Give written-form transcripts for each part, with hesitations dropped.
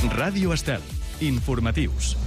Ràdio Estel. Informatius.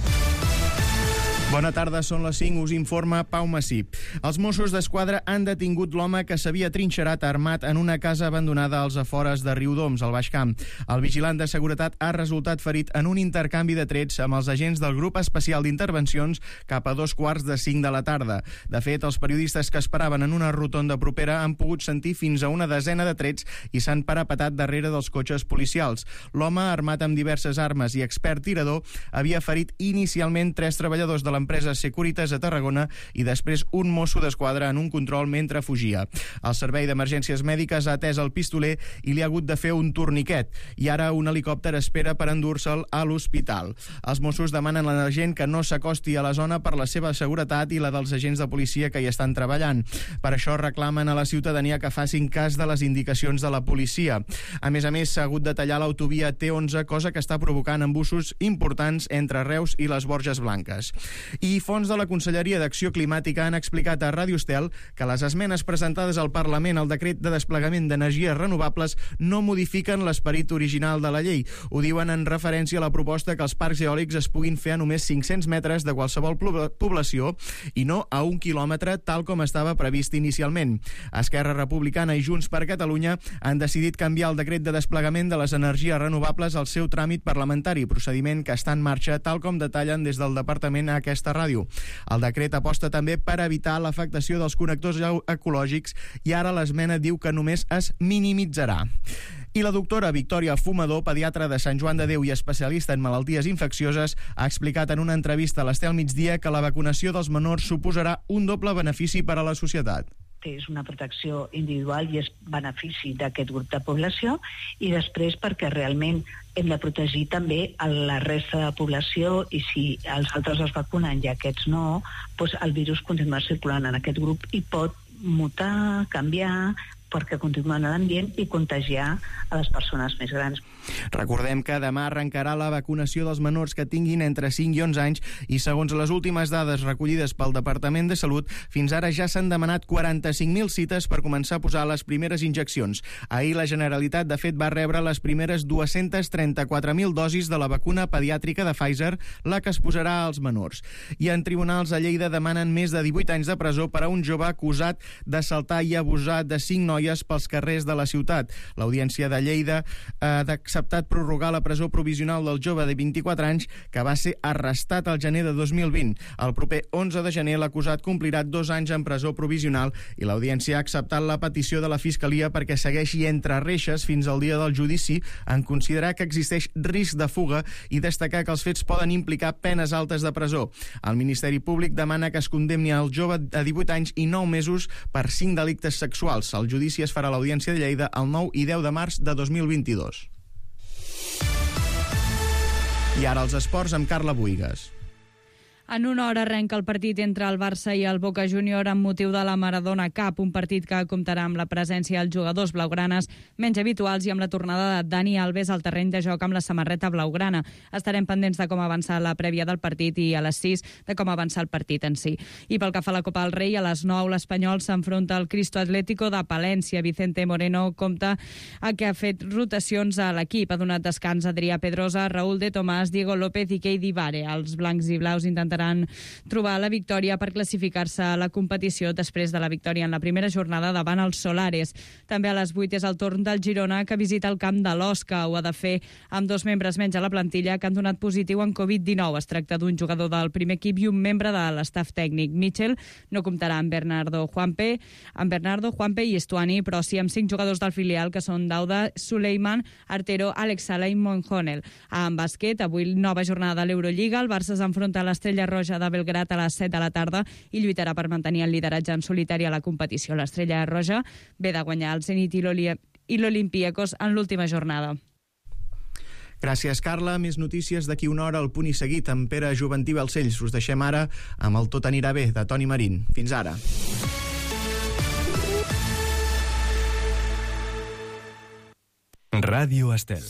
Bona tarda, són les 5, us informa Pau Massip. Els Mossos d'Esquadra han detingut l'home que s'havia trinxerat armat en una casa abandonada als afores de Riudoms, al Baix Camp. El vigilant de seguretat ha resultat ferit en un intercanvi de trets amb els agents del Grup Especial d'Intervencions cap a 5:45 de la tarda. De fet, els periodistes que esperaven en una rotonda propera han pogut sentir fins a una desena de trets i s'han parapetat darrere dels cotxes policials. L'home, armat amb diverses armes i expert tirador, havia ferit inicialment 3 treballadors de l'empresa Securitas a Tarragona i després un mosso d'esquadra en un control mentre fugia. El servei d'emergències mèdiques ha atès el pistoler i li ha hagut de fer un torniquet i ara un helicòpter espera per endur-se'l a l'hospital. Els Mossos demanen a la gent que no s'acosti a la zona per la seva seguretat i la dels agents de policia que hi estan treballant. Per això reclamen a la ciutadania que facin cas de les indicacions de la policia. A més, s'ha hagut de tallar l'autovia T11, cosa que està provocant embussos importants entre Reus i les Borges Blanques. I fonts de la Conselleria d'Acció Climàtica han explicat a Ràdio Estel que les esmenes presentades al Parlament al decret de desplegament d'energies renovables no modifiquen l'esperit original de la llei. Ho diuen en referència a la proposta que els parcs eòlics es puguin fer a només 500 metres de qualsevol població i no a 1 quilòmetre, tal com estava previst inicialment. Esquerra Republicana i Junts per Catalunya han decidit canviar el decret de desplegament de les energies renovables al seu tràmit parlamentari, procediment que està en marxa, tal com detallen des del departament a aquesta ràdio. El decret aposta també per evitar l'afectació dels connectors ecològics i ara l'esmena diu que només es minimitzarà. I la doctora Victòria Fumador, pediatra de Sant Joan de Déu i especialista en malalties infeccioses, ha explicat en una entrevista a l'Estel Migdia que la vacunació dels menors suposarà un doble benefici per a la societat. És una protecció individual i és benefici d'aquest grup de població, i després perquè realment hem de protegir també a la resta de la població, i si els altres es vacunen i aquests no, doncs el virus continua circulant en aquest grup i pot mutar, canviar, perquè continua en l'ambient i contagiar a les persones més grans. Recordem que demà arrencarà la vacunació dels menors que tinguin entre 5 i 11 anys i segons les últimes dades recollides pel Departament de Salut, fins ara ja s'han demanat 45.000 cites per començar a posar les primeres injeccions. Ahir la Generalitat, de fet, va rebre les primeres 234.000 dosis de la vacuna pediàtrica de Pfizer, la que es posarà als menors. I en tribunals a Lleida demanen més de 18 anys de presó per a un jove acusat d'assaltar i abusar de 5 noies pels carrers de la ciutat. L'Audiència de Lleida ha acceptat prorrogar la presó provisional del jove de 24 anys que va ser arrestat al gener de 2020. El proper 11 de gener l'acusat complirà 2 anys en presó provisional i l'Audiència ha acceptat la petició de la Fiscalia perquè segueixi entre reixes fins al dia del judici, en considerar que existeix risc de fuga i destacar que els fets poden implicar penes altes de presó. El Ministeri Públic demana que es condemni el jove a 18 anys i 9 mesos per 5 delictes sexuals. El judici es farà a l'Audiència de Lleida el 9 i 10 de març de 2022. I ara els esports amb Carla Buigas. En una hora arrenca el partit entre el Barça i el Boca Junior amb motiu de la Maradona Cup, un partit que comptarà amb la presència dels jugadors blaugranes menys habituals i amb la tornada de Dani Alves al terreny de joc amb la samarreta blaugrana. Estarem pendents de com avançar la prèvia del partit i a les 6 de com avançar el partit en si. I pel que fa a la Copa del Rei, a les 9 l'Espanyol s'enfronta al Cristo Atlético de Palència. Vicente Moreno compta que ha fet rotacions a l'equip. Ha donat descans a Adrià Pedrosa, Raúl de Tomàs, Diego López i Keidi Vare. Els blancs i blaus intentaran trobar la victòria per classificar-se a la competició després de la victòria en la primera jornada davant els Solares. També a les 8 és el torn del Girona, que visita el camp de l'Osca. Ho ha de fer amb 2 membres menys a la plantilla que han donat positiu en Covid-19. Es tracta d'un jugador del primer equip i un membre de l'estaf tècnic. Mitchell no comptarà amb Bernardo, Juanpe i Estuani, però sí amb 5 jugadors del filial que són Dauda, Suleiman, Artero, Alex Sala i Monjonel. En bàsquet, avui nova jornada de l'Eurolliga. El Barça s'enfronta a l'Estrella Roja de Belgrat a les 7 de la tarda i lluitarà per mantenir el lideratge en solitari a la competició. L'Estrella Roja ve de guanyar el Zenit i l'Olympiacos en l'última jornada. Gràcies, Carla. Més notícies d'aquí una hora al Punt i Seguit amb Pere Juventí Balcells. Us deixem ara amb el Tot anirà bé, de Toni Marín. Fins ara. Ràdio Estel.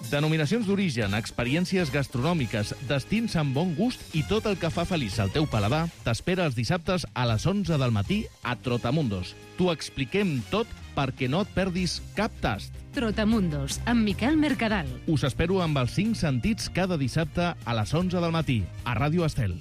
Denominacions d'origen, experiències gastronòmiques, destins amb bon gust i tot el que fa feliç al teu paladar t'espera els dissabtes a les 11 del matí a Trotamundos. T'ho expliquem tot perquè no et perdis cap tast. Trotamundos, amb Miquel Mercadal. Us espero amb els 5 sentits cada dissabte a les 11 del matí a Ràdio Estel.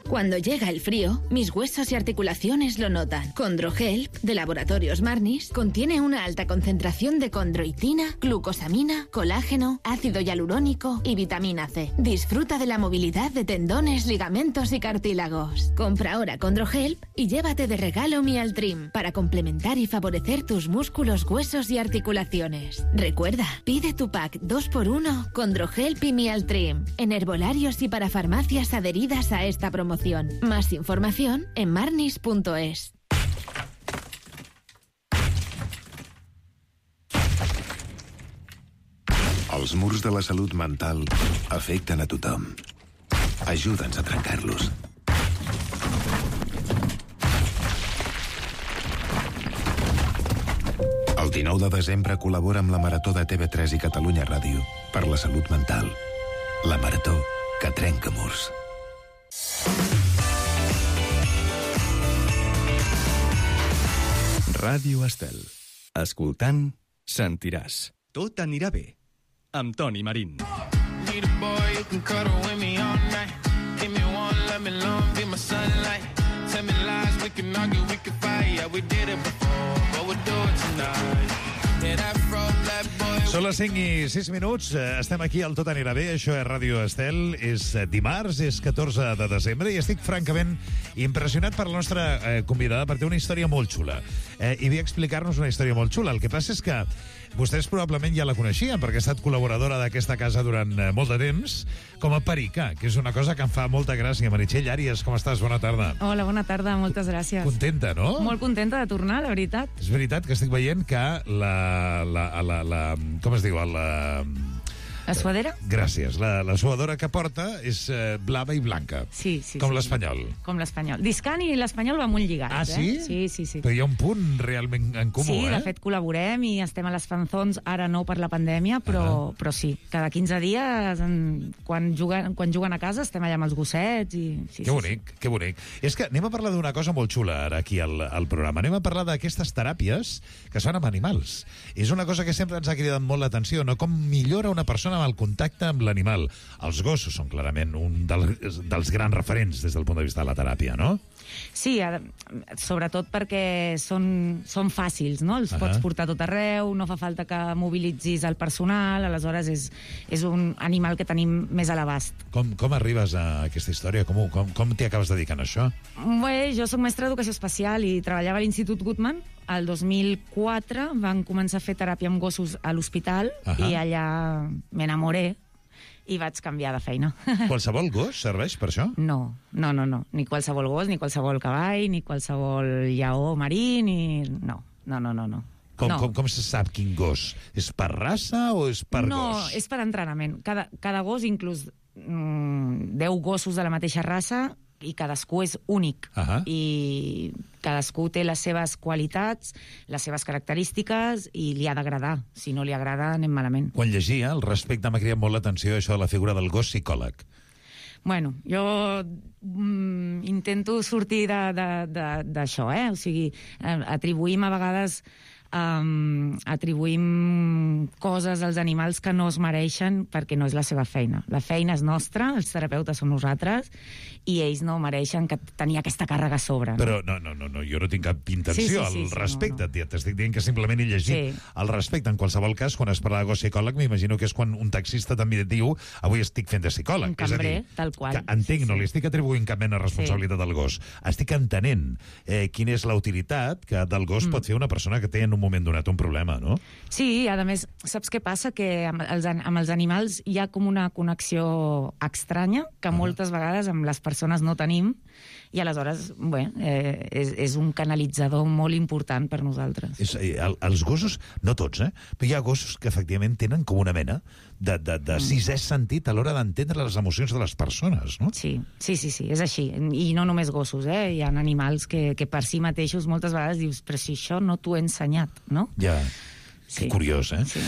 Cuando llega el frío, mis huesos y articulaciones lo notan. Condrohelp, de Laboratorios Marnis, contiene una alta concentración de condroitina, glucosamina, colágeno, ácido hialurónico y vitamina C. Disfruta de la movilidad de tendones, ligamentos y cartílagos. Compra ahora Condrohelp y llévate de regalo Mialtrim para complementar y favorecer tus músculos, huesos y articulaciones. Recuerda, pide tu pack 2x1 Condrohelp y Mialtrim en herbolarios y para farmacias adheridas a esta promoción. Más información en marnis.es. Els murs de la salut mental afecten a tothom. Ajuda'ns a trencar-los. El 19 de desembre col·labora amb la Marató de TV3 i Catalunya Ràdio per la salut mental. La Marató que trenca murs. Ràdio Estel. Escoltant, sentiràs. Tot anirà bé. Amb Toni Marín. Són les 5 i 6 minuts. Estem aquí al Tot anirà bé. Això és Ràdio Estel. És dimarts, és 14 de desembre i estic francament impressionat per la nostra convidada perquè té una història molt xula. I ve a explicar-nos una història molt xula. El que passa és que vostès probablement ja la coneixien perquè ha estat col·laboradora d'aquesta casa durant molt de temps com a perica, que és una cosa que em fa molta gràcia. Meritxell Àries, com estàs? Bona tarda. Hola, bona tarda, moltes gràcies. Contenta, no? Molt contenta de tornar, la veritat. És veritat que estic veient que com es diu? La suadera? Gràcies. La suadora que porta és blava i blanca. Sí. Com l'espanyol. Com l'espanyol. Discan i l'espanyol va molt lligats, Ah, sí? Sí. Però hi ha un punt realment en comú, Sí, de fet col·laborem i estem a les fanzons, ara no per la pandèmia, però sí. Cada 15 dies, quan juguen a casa, estem allà amb els gossets i... Que bonic, que bonic. És que anem a parlar d'una cosa molt xula ara aquí al programa. Anem a parlar d'aquestes teràpies que es fan amb animals. És una cosa que sempre ens ha cridat molt l'atenció, no? Com millora una persona amb el contacte amb l'animal. Els gossos són clarament un dels grans referents des del punt de vista de la teràpia, no? Sí, sobretot perquè són fàcils, no? Els pots portar tot arreu, no fa falta que mobilitzis el personal, aleshores és un animal que tenim més a l'abast. Com arribes a aquesta història? Com t'hi acabes dedicant a això? Bé, jo soc mestra d'educació especial i treballava a l'Institut Guttmann. El 2004 van començar a fer teràpia amb gossos a l'hospital i allà m'enamoré i vaig canviar de feina. Qualsevol gos serveix per això? No. Ni qualsevol gos, ni qualsevol cavall, ni qualsevol lleó marí, ni... No. Com se sap quin gos? És per raça o és per gos? No, és per entrenament. Cada gos, inclús 10 gossos de la mateixa raça, i cadascú és únic. I cadascú té les seves qualitats, les seves característiques, i li ha d'agradar. Si no li agrada, anem malament. Quan llegia, el respecte m'ha cridat molt l'atenció això de la figura del gos psicòleg. Bueno, jo intento sortir d'això, O sigui, atribuïm a vegades coses als animals que no es mereixen perquè no és la seva feina. La feina és nostra, els terapeutes som nosaltres, i ells no mereixen tenir aquesta càrrega a sobre. No? Però no, jo no tinc cap intenció al respecte. T'estic dient que simplement he llegit el respecte. En qualsevol cas, quan es parla de gos psicòleg, m'imagino que és quan un taxista també diu avui estic fent de psicòleg. Un cambrer, tal qual. Entenc, no li estic atribuint cap mena de responsabilitat al gos. Estic entenent quina és la utilitat que del gos pot fer una persona que té en un moment donat un problema, no? Sí, a més, saps què passa? Que amb els animals hi ha com una connexió estranya que moltes vegades amb les persones no tenim, i aleshores, és un canalitzador molt important per nosaltres. Els gossos, no tots, però hi ha gossos que efectivament tenen com una mena de sisè sentit a l'hora d'entendre les emocions de les persones, no? Sí, és així. I no només gossos, Hi ha animals que per si mateixos moltes vegades dius, però si això no t'ho he ensenyat, no? Ja. Que curiós, eh? Sí.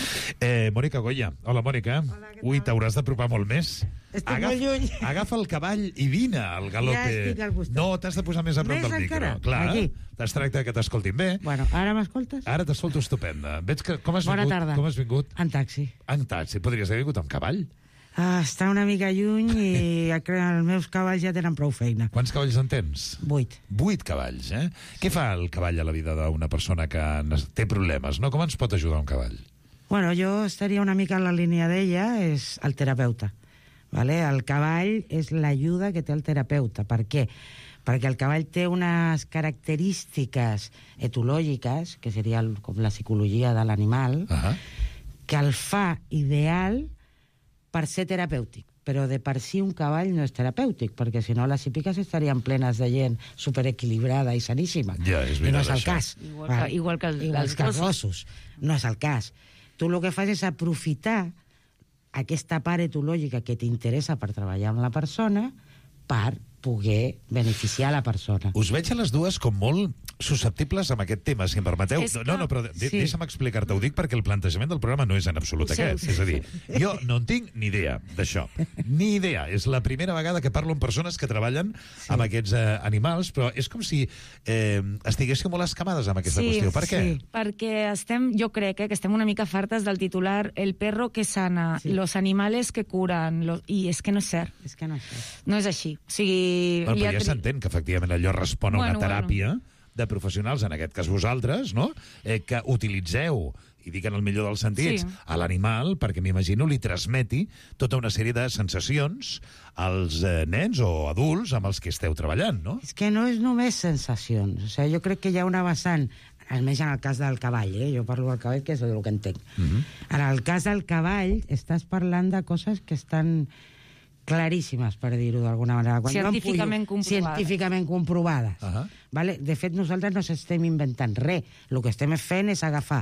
Mònica Goya. Hola, Mònica. Ui, t'hauràs d'apropar molt més. Estic molt lluny. Agafa el cavall i vine al galope. Ja estic al costat. No, t'has de posar més a prop del micro. encara? Clar, Aquí. es tracta que t'escoltin bé. Bueno, ara m'escoltes? Ara t'escolto estupenda. Veig que... Com has Bona vingut? tarda. Com has vingut? En taxi. En taxi. Podries haver vingut amb cavall? Està una mica lluny i els meus cavalls ja tenen prou feina. Quants cavalls en tens? 8. 8 cavalls, eh? Què fa el cavall a la vida d'una persona que té problemes, no? Com ens pot ajudar un cavall? Bueno, jo estaria una mica en la línia d'ella, és el terapeuta. Vale? El cavall és l'ajuda que té el terapeuta. Per què? Perquè el cavall té unes característiques etològiques, que seria com la psicologia de l'animal, que el fa ideal per ser terapèutic. Però de per si un cavall no és terapèutic, perquè si no les hípiques estarien plenes de gent superequilibrada i saníssima. Ja, és I no és el això. cas. Igual que els gossos. No és el cas. Tu el que fas és aprofitar aquesta part etològica que t'interessa per treballar amb la persona per poder beneficiar la persona. Us veig a les dues com molt susceptibles amb aquest tema, si em permeteu. No, però deixa'm explicar-te. Ho dic perquè el plantejament del programa no és en absolut aquest. És a dir, jo no en tinc ni idea d'això. Ni idea. És la primera vegada que parlo amb persones que treballen amb aquests animals, però és com si estiguéssiu molt escamades amb aquesta qüestió. Per què? Perquè jo crec que estem una mica fartes del titular el perro que sana, los animales que curan, i és que no és cert. És que no és cert. No és així. O sigui... Però ja s'entén que efectivament allò respon a una teràpia de professionals, en aquest cas vosaltres, no? Que utilitzeu, i dic en el millor dels sentits, a l'animal perquè m'imagino li transmeti tota una sèrie de sensacions als nens o adults amb els que esteu treballant, no? És que no és només sensacions. O sigui, jo crec que hi ha una vessant, almenys en el cas del cavall, jo parlo del cavall, que és el que entenc. En el cas del cavall, estàs parlant de coses que estan claríssimes, per dir-ho d'alguna manera. Científicament comprovades. Científicament comprovades. Vale? De fet, nosaltres no estem inventant res. El que estem fent és agafar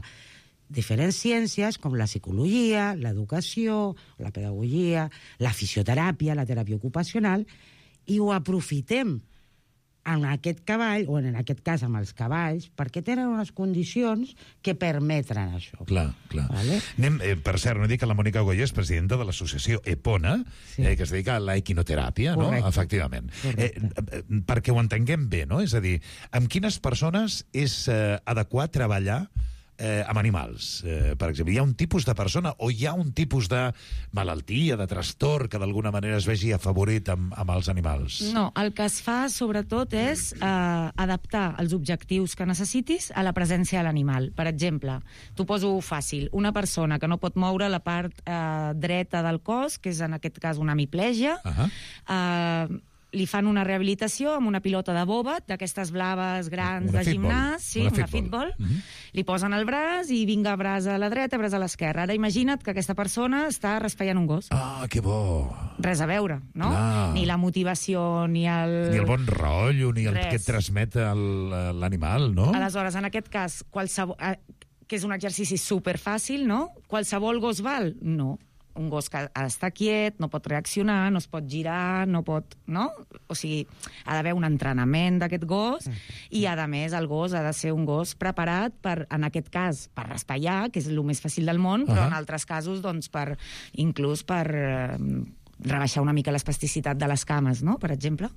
diferents ciències, com la psicologia, l'educació, la pedagogia, la fisioteràpia, la teràpia ocupacional, i ho aprofitem en aquest cavall, o en aquest cas amb els cavalls, perquè tenen unes condicions que permetren això. Clar. Vale? Per cert, no dic que la Mònica Goya és presidenta de l'associació Epona, que es dedica a la equinoteràpia, no? Efectivament. Perquè ho entenguem bé, no? És a dir, amb quines persones és adequat treballar amb animals, per exemple. Hi ha un tipus de persona o hi ha un tipus de malaltia, de trastorn que d'alguna manera es vegi afavorit amb els animals? No, el que es fa sobretot és adaptar els objectius que necessitis a la presència de l'animal. Per exemple, t'ho poso fàcil, una persona que no pot moure la part dreta del cos, que és en aquest cas una hemiplegia, li fan una rehabilitació amb una pilota de bòbet, d'aquestes blaves grans de gimnàs, una fitball, li posen el braç i vinga, braç a la dreta, braç a l'esquerra. Ara imagina't que aquesta persona està raspallant un gos. Ah, que bo! Res a veure, no? Ni la motivació, ni el... Ni el bon rotllo, ni el que et transmet l'animal, no? Aleshores, en aquest cas, que és un exercici superfàcil, no? Qualsevol gos val? No. Un gos que ha d'estar quiet, no pot reaccionar, no es pot girar, no pot... no? O sigui, ha d'haver un entrenament d'aquest gos i, a més, el gos ha de ser un gos preparat per, en aquest cas, per raspallar, que és el més fàcil del món, però en altres casos, doncs, inclús per rebaixar una mica l'espasticitat de les cames, no?, per exemple.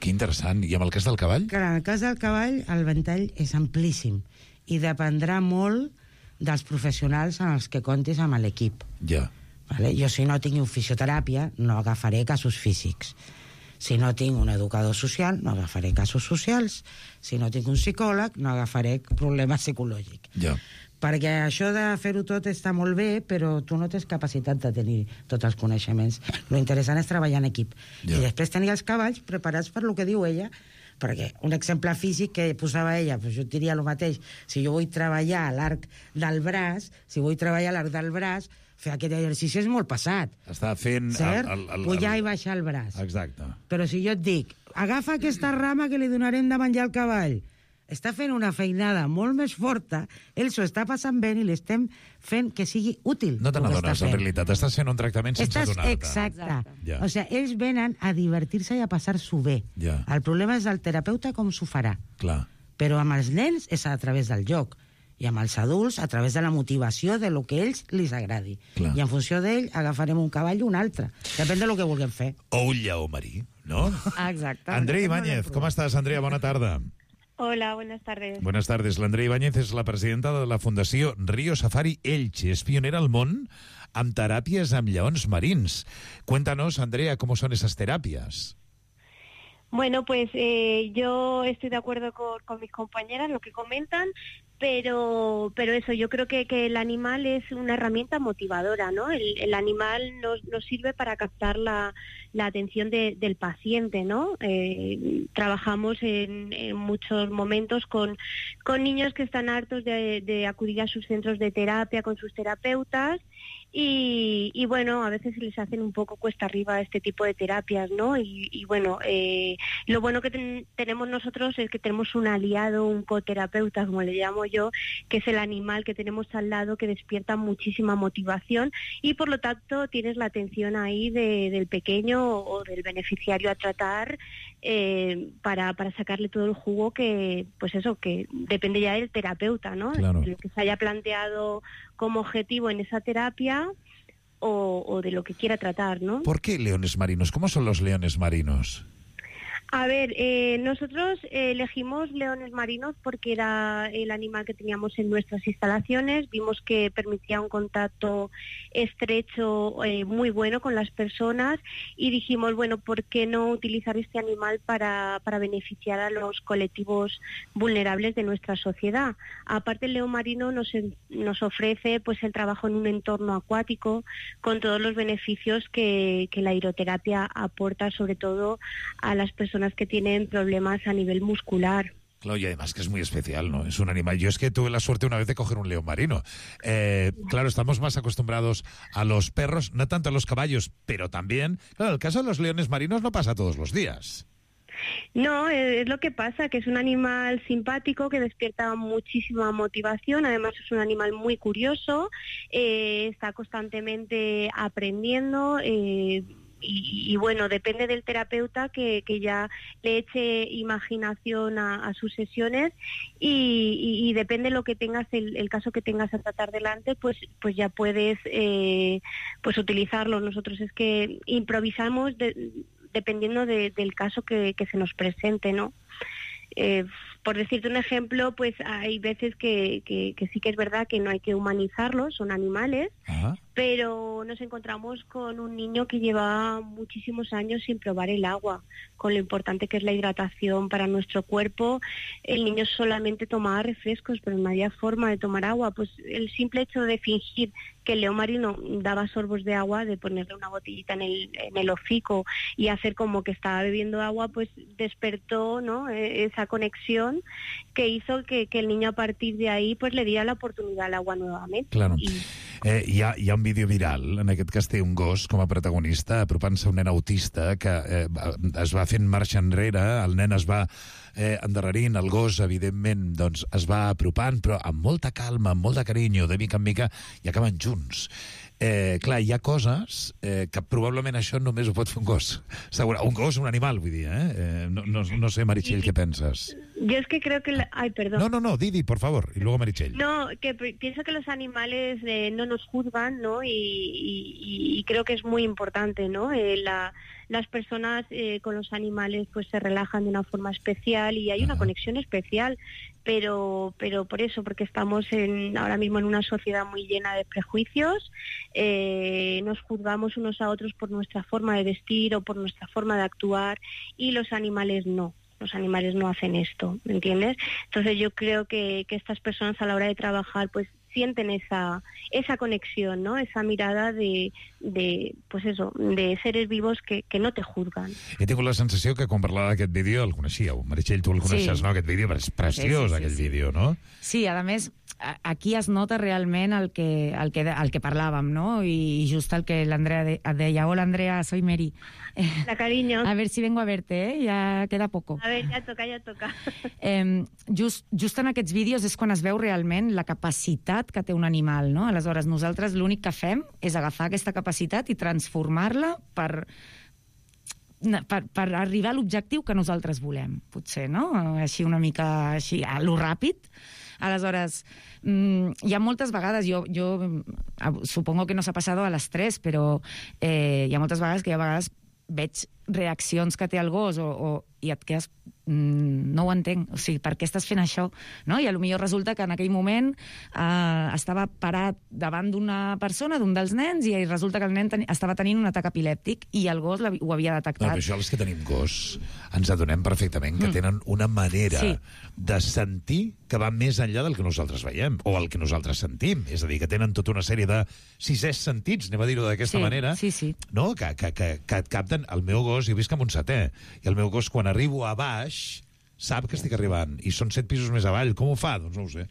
Que interessant. I amb el cas del cavall? Clar, en el cas del cavall, el ventall és amplíssim i dependrà molt dels professionals en els que comptis amb l'equip. Ja. Vale? Jo, si no tinc un fisioteràpia, no agafaré casos físics. Si no tinc un educador social, no agafaré casos socials. Si no tinc un psicòleg, no agafaré problemes psicològics. Ja. Perquè això de fer-ho tot està molt bé, però tu no tens capacitat de tenir tots els coneixements. Lo interessant és treballar en equip. I després tenir els cavalls preparats per lo que diu ella, perquè un exemple físic que posava ella, doncs jo et diria el mateix. Si jo vull treballar a l'arc del braç, fer aquest exercici és molt pesat. Està fent... Pujar i baixar el braç. Exacte. Però si jo et dic, agafa aquesta rama que li donarem de menjar al cavall, està fent una feinada molt més forta, ell s'ho està passant bé i l'estem fent que sigui útil. No te n'adones, en realitat. Estàs fent un tractament sense adonar-te. Exacte. Ja. O sigui, ells venen a divertir-se i a passar-s'ho bé. Ja. El problema és el terapeuta com s'ho farà. Clar. Però amb els nens és a través del joc. i amb els adults a través de la motivació de lo que a ells li agradi. Clar. I en funció d'ell agafarem un cavall o un altre. Depèn de lo que vulguem fer. O un lleó marí, ¿no? Exacte. Andrea Ibáñez, ¿cómo estás, Andrea? Bona tarda. Hola, buenas tardes. Buenas tardes. L'Andrea Ibáñez és la presidenta de la Fundació Río Safari Elche. És pionera al món amb teràpies amb lleons marins. Cuéntanos, Andrea, ¿cómo son esas terapias? Bueno, pues yo estoy de acuerdo con mis compañeras, lo que comentan, pero eso, yo creo que el animal es una herramienta motivadora, ¿no? El animal nos sirve para captar la atención del paciente, ¿no? Trabajamos en muchos momentos con niños que están hartos de acudir a sus centros de terapia con sus terapeutas y bueno, a veces se les hacen un poco cuesta arriba este tipo de terapias, ¿no? Y bueno, lo bueno que tenemos nosotros es que tenemos un aliado, un coterapeuta, como le llamo yo, que es el animal que tenemos al lado, que despierta muchísima motivación y por lo tanto tienes la atención ahí del pequeño o del beneficiario a tratar para sacarle todo el jugo que, pues eso, que depende ya del terapeuta, ¿no? Claro. De lo que se haya planteado como objetivo en esa terapia o de lo que quiera tratar, ¿no? ¿Por qué leones marinos? ¿Cómo son los leones marinos? A ver, nosotros elegimos leones marinos porque era el animal que teníamos en nuestras instalaciones. Vimos que permitía un contacto estrecho muy bueno con las personas y dijimos, bueno, ¿por qué no utilizar este animal para beneficiar a los colectivos vulnerables de nuestra sociedad? Aparte, el león marino nos ofrece pues el trabajo en un entorno acuático con todos los beneficios que la aeroterapia aporta, sobre todo a las personas que tienen problemas a nivel muscular. Claro, y además que es muy especial, ¿no? Es un animal. Yo es que tuve la suerte una vez de coger un león marino. Claro, estamos más acostumbrados a los perros, no tanto a los caballos, pero también... Claro, el caso de los leones marinos no pasa todos los días. No, es lo que pasa, que es un animal simpático que despierta muchísima motivación, además es un animal muy curioso, está constantemente aprendiendo... Y bueno, depende del terapeuta que ya le eche imaginación a sus sesiones y depende de lo que tengas, el caso que tengas a tratar delante, pues ya puedes pues utilizarlo. Nosotros es que improvisamos dependiendo del caso que se nos presente, ¿no? Por decirte un ejemplo, pues hay veces que sí que es verdad que no hay que humanizarlos, son animales. Ajá. Pero nos encontramos con un niño que lleva muchísimos años sin probar el agua, con lo importante que es la hidratación para nuestro cuerpo. El niño solamente tomaba refrescos, pero no había forma de tomar agua. Pues el simple hecho de fingir que el león marino daba sorbos de agua, de ponerle una botellita en el hocico y hacer como que estaba bebiendo agua, pues despertó, ¿no?, esa conexión que hizo que el niño a partir de ahí pues le diera la oportunidad al agua nuevamente. Claro. Hi ha un vídeo viral, en aquest cas té un gos com a protagonista, apropant-se a un nen autista que es va fent marxa enrere, el nen es va endarrerint, el gos, evidentment, doncs es va apropant, però amb molta calma, amb molt de carinyo, de mica en mica, i acaben junts. Clar, hi ha coses que probablement això només ho pot fer un gos. Un gos, un animal, vull dir, No sé, Meritxell, què penses? Yo es que creo que... Ay, perdón. No, Didi, por favor, y luego Meritxell. No, que pienso que los animales no nos juzgan, ¿no? Y creo que es muy importante, ¿no? Las personas con los animales pues se relajan de una forma especial y hay una conexión especial, pero por eso, porque estamos ahora mismo en una sociedad muy llena de prejuicios, nos juzgamos unos a otros por nuestra forma de vestir o por nuestra forma de actuar y los animales no. Los animales no hacen esto, ¿me entiendes? Entonces yo creo que estas personas a la hora de trabajar pues sienten esa conexión, ¿no? Esa mirada de pues eso, de seres vivos que no te juzgan. He tingut la sensació que quan parlava d'aquest vídeo el coneixíeu. Meritxell, tu el coneixes, no? Aquest vídeo, és preciós, aquell vídeo, no? Sí, a més, aquí es nota realment el que parlàvem, no? I just el que l'Andrea deia. Hola, Andrea, soy Meri. La cariño. A ver si vengo a verte, ya queda poco. A ver, ya toca. Just en aquests vídeos és quan es veu realment la capacitat que té un animal, no? Aleshores, nosaltres l'únic que fem és agafar aquesta capacitat i transformar-la per arribar a l'objectiu que nosaltres volem, potser, no? Així una mica així, a lo ràpid, Aleshores, hi ha moltes vegades, jo supongo que no s'ha passat a les 3, però hi ha moltes vegades que veig reaccions que té el gos i et quedes... no ho entenc, o sigui, per què estàs fent això? No? I potser resulta que en aquell moment estava parat davant d'una persona, d'un dels nens, i resulta que el nen estava tenint un atac epilèptic i el gos ho havia detectat. No, però això els que tenim gos ens adonem perfectament que tenen una manera de sentir que va més enllà del que nosaltres veiem o el que nosaltres sentim. És a dir, que tenen tota una sèrie de sisès sentits, anem a dir-ho d'aquesta manera, no? Que et capten. El meu gos, jo visc amb un setè, i el meu gos, quan arribo a baix, sap que estic arribant, i són 7 pisos més avall. Com ho fa? Doncs no ho sé.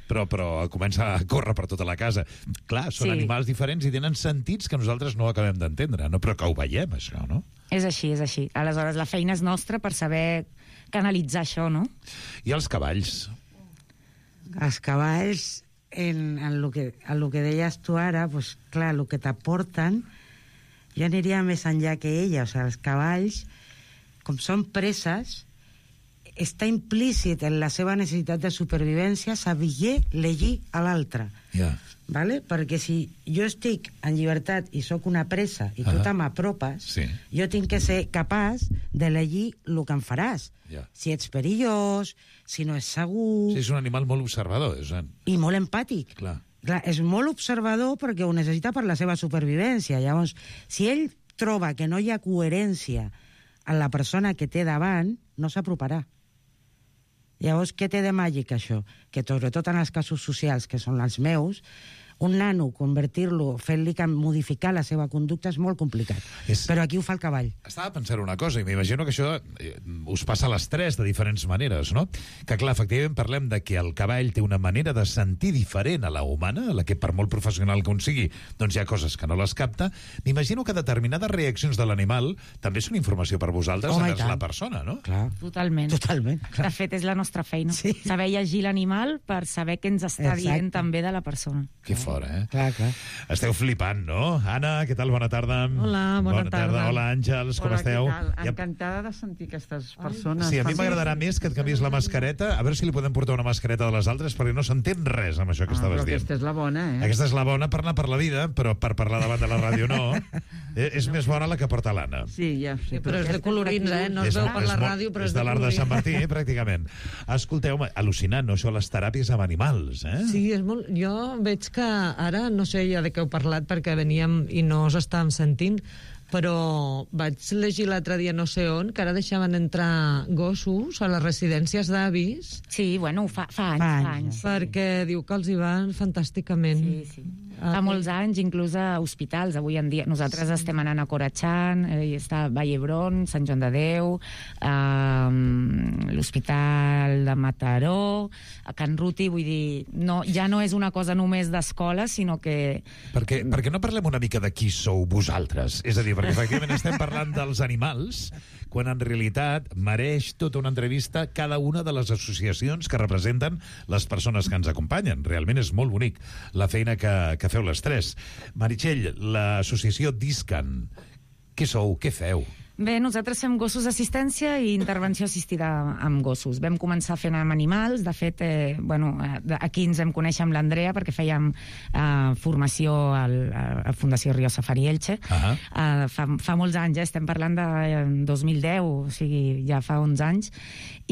Però comença a córrer per tota la casa. Clar, són animals diferents i tenen sentits que nosaltres no acabem d'entendre, no? Però que ho veiem, això, no? És així, és així. Aleshores, la feina és nostra per saber canalitzar això, no? I els cavalls? Els cavalls, en el que deies tu ara, pues, clar, el que t'aporten, jo aniria més enllà que ella. O sigui, els cavalls, com són preses, està implícit en la seva necessitat de supervivència saber llegir a l'altre. ¿Vale? Perquè si jo estic en llibertat i sóc una presa i tu te m'apropes, jo tinc que ser capaç de llegir el que em faràs. Si ets perillós, si no és segur... Sí, és un animal molt observador. I molt empàtic. Clar, és molt observador perquè ho necessita per la seva supervivència. Llavors, si ell troba que no hi ha coherència en la persona que té davant, no s'aproparà. Llavors, què té de màgic, això? Que, sobretot en els casos socials, que són els meus, un nano, convertir-lo, fent-li modificar la seva conducta és molt complicat. Però aquí ho fa el cavall. Estava pensant una cosa, i m'imagino que això us passa a les 3 de diferents maneres, no? Que, clar, efectivament parlem de que el cavall té una manera de sentir diferent a la humana, a la que per molt professional que sigui, doncs hi ha coses que no les capta. M'imagino que determinades reaccions de l'animal també són informació per vosaltres envers la persona, no? Clar. Totalment. Clar. De fet, és la nostra feina. Saber llegir l'animal per saber què ens està dient també de la persona. Que fora, eh? Clar. Esteu flipant, no? Anna, què tal? Bona tarda. Hola, bona tarda. Hola, Àngels, com esteu? Encantada de sentir aquestes persones. Sí, a mi m'agradarà més que et canvies la mascareta, a veure si li podem portar una mascareta de les altres, perquè no s'entén res amb això que estaves dient. Aquesta és la bona, eh? Aquesta és la bona per anar per la vida, però per parlar davant de la ràdio no. És més bona la que porta l'Anna. Sí, ja sé. Però és de colorins, eh? No es veu per la ràdio, però és de l'art de Sant Martí, pràcticament. Escolteu, al·lucinant, no? Això, les teràpies amb animals, eh? Sí, és molt... Jo veig que ara, no sé ja de què heu parlat, perquè veníem i no us estàvem sentint, però vaig llegir l'altre dia no sé on, que ara deixaven entrar gossos a les residències d'avis. Sí, bueno, fa anys. Perquè diu que els hi van fantàsticament. Sí. Fa molts anys, inclús a hospitals, avui en dia. Nosaltres estem anant a Corachán, està a Vall d'Hebron, Sant Joan de Déu, l'Hospital de Mataró, a Can Ruti, vull dir, ja no és una cosa només d'escola, sinó que... Perquè no parlem una mica de qui sou vosaltres? És a dir, perquè efectivament estem parlant dels animals, quan en realitat mereix tota una entrevista cada una de les associacions que representen les persones que ens acompanyen. Realment és molt bonic la feina que feu les 3. Meritxell, l'associació Discan, què sou, què feu? Bé, nosaltres fem gossos d'assistència i intervenció assistida amb gossos. Vam començar fent amb animals, de fet, aquí ens vam conèixer amb l'Andrea perquè fèiem formació a Fundació Río Safari Elche. Fa molts anys, estem parlant de 2010, o sigui, ja fa 11 anys.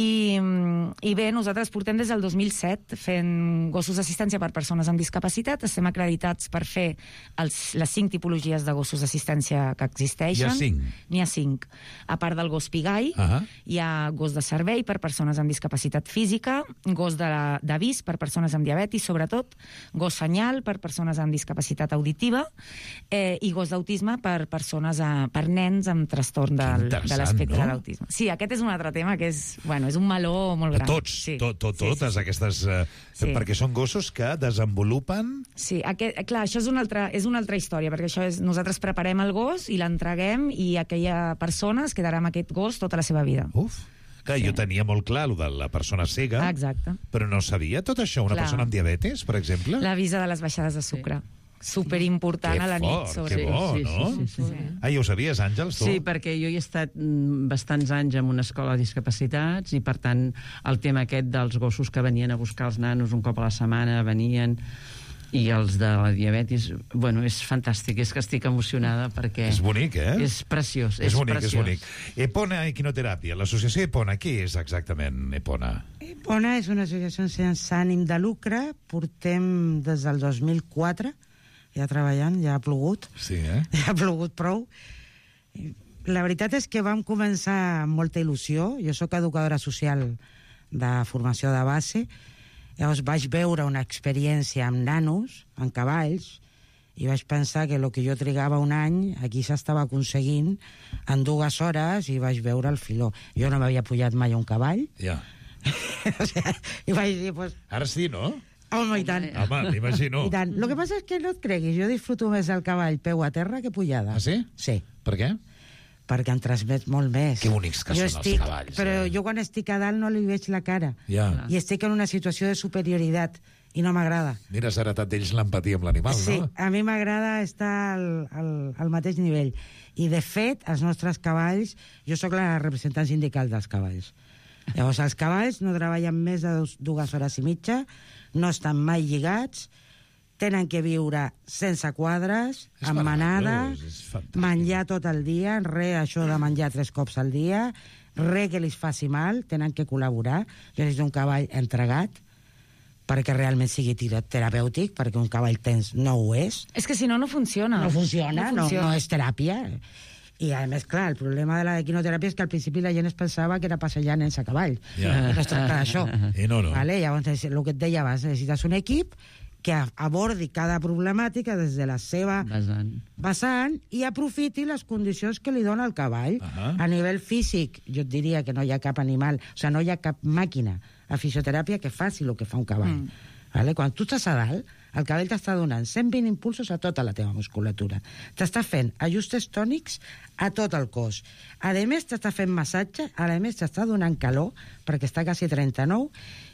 I bé, nosaltres portem des del 2007 fent gossos d'assistència per persones amb discapacitat. Estem acreditats per fer les 5 tipologies de gossos d'assistència que existeixen. Hi ha 5? N'hi ha 5. A part del gos pigai, hi ha gos de servei per persones amb discapacitat física, gos d'avís per persones amb diabetis, sobretot, gos senyal per persones amb discapacitat auditiva i gos d'autisme per nens amb trastorn de l'espectre de l'autisme. Sí, aquest és un altre tema que és un meló molt gran. Totes aquestes... Perquè són gossos que desenvolupen... Sí, clar, això és una altra història, perquè això és... Nosaltres preparem el gos i l'entreguem i aquella persona es quedarà amb aquest gos tota la seva vida. Clar, jo tenia molt clar el de la persona cega, exacte, però no sabia tot això. Una persona amb diabetes, per exemple? L'avisa de les baixades de sucre. superimportant a la nit. Que bo, no? Sí. Ja ho sabies, Àngels, tu? Sí, perquè jo hi he estat bastants anys en una escola de discapacitats i, per tant, el tema aquest dels gossos que venien a buscar els nanos un cop a la setmana, venien, i els de la diabetis, bueno, és fantàstic, és que estic emocionada perquè... És bonic, És preciós, és bonic. Epona Equinoteràpia, l'associació Epona, què és exactament Epona? Epona és una associació sense ànim de lucre, portem des del 2004 ja treballant, ja ha plogut. Sí, Ja ha plogut prou. La veritat és que vam començar amb molta il·lusió. Jo sóc educadora social de formació de base. Llavors vaig veure una experiència amb nanos, amb cavalls, i vaig pensar que el que jo trigava un any aquí s'estava aconseguint en 2 hores i vaig veure el filó. Jo no m'havia pujat mai a un cavall. Ja. O sea, i vaig dir, pues... Ara sí, no? Home, i tant. Home, m'imagino. I tant. El que passa és que no et creguis, jo disfruto més el cavall peu a terra que pujada. Ah, sí? Sí. Per què? Perquè em transmet molt més. Que bonics que són els cavalls. Però jo quan estic a dalt no li veig la cara. Ja. I estic en una situació de superioritat i no m'agrada. Mira, has heretat d'ells l'empatia amb l'animal, no? Sí, a mi m'agrada estar al mateix nivell. I, de fet, els nostres cavalls... Jo sóc la representant sindical dels cavalls. Llavors, els cavalls no treballen més de 2 hores i mitja, no estan mai lligats, tenen que viure sense quadres, amb manada, menjar tot el dia, això de menjar 3 cops al dia, que li faci mal, tenen que col·laborar. Jo necessito un cavall entregat, perquè realment sigui terapèutic, perquè un cavall tens no ho és. És que si no, no funciona. No funciona. No és teràpia. I, a més, clar, el problema de l'equinoteràpia és que al principi la gent es pensava que era passejar nens a cavall. I no es tracta d'això. I no. Vale? Llavors, el que et deia abans, necessites un equip que abordi cada problemàtica des de la seva vessant i aprofiti les condicions que li dona el cavall. A nivell físic, jo et diria que no hi ha cap animal, o sigui, no hi ha cap màquina a fisioteràpia que faci el que fa un cavall. Vale? Quan tu estàs a dalt, el cavall t'està donant 120 impulsos a tota la teva musculatura. T'està fent ajustes tònics a tot el cos. A més, t'està fent massatge, a més, t'està donant calor, perquè està quasi 39,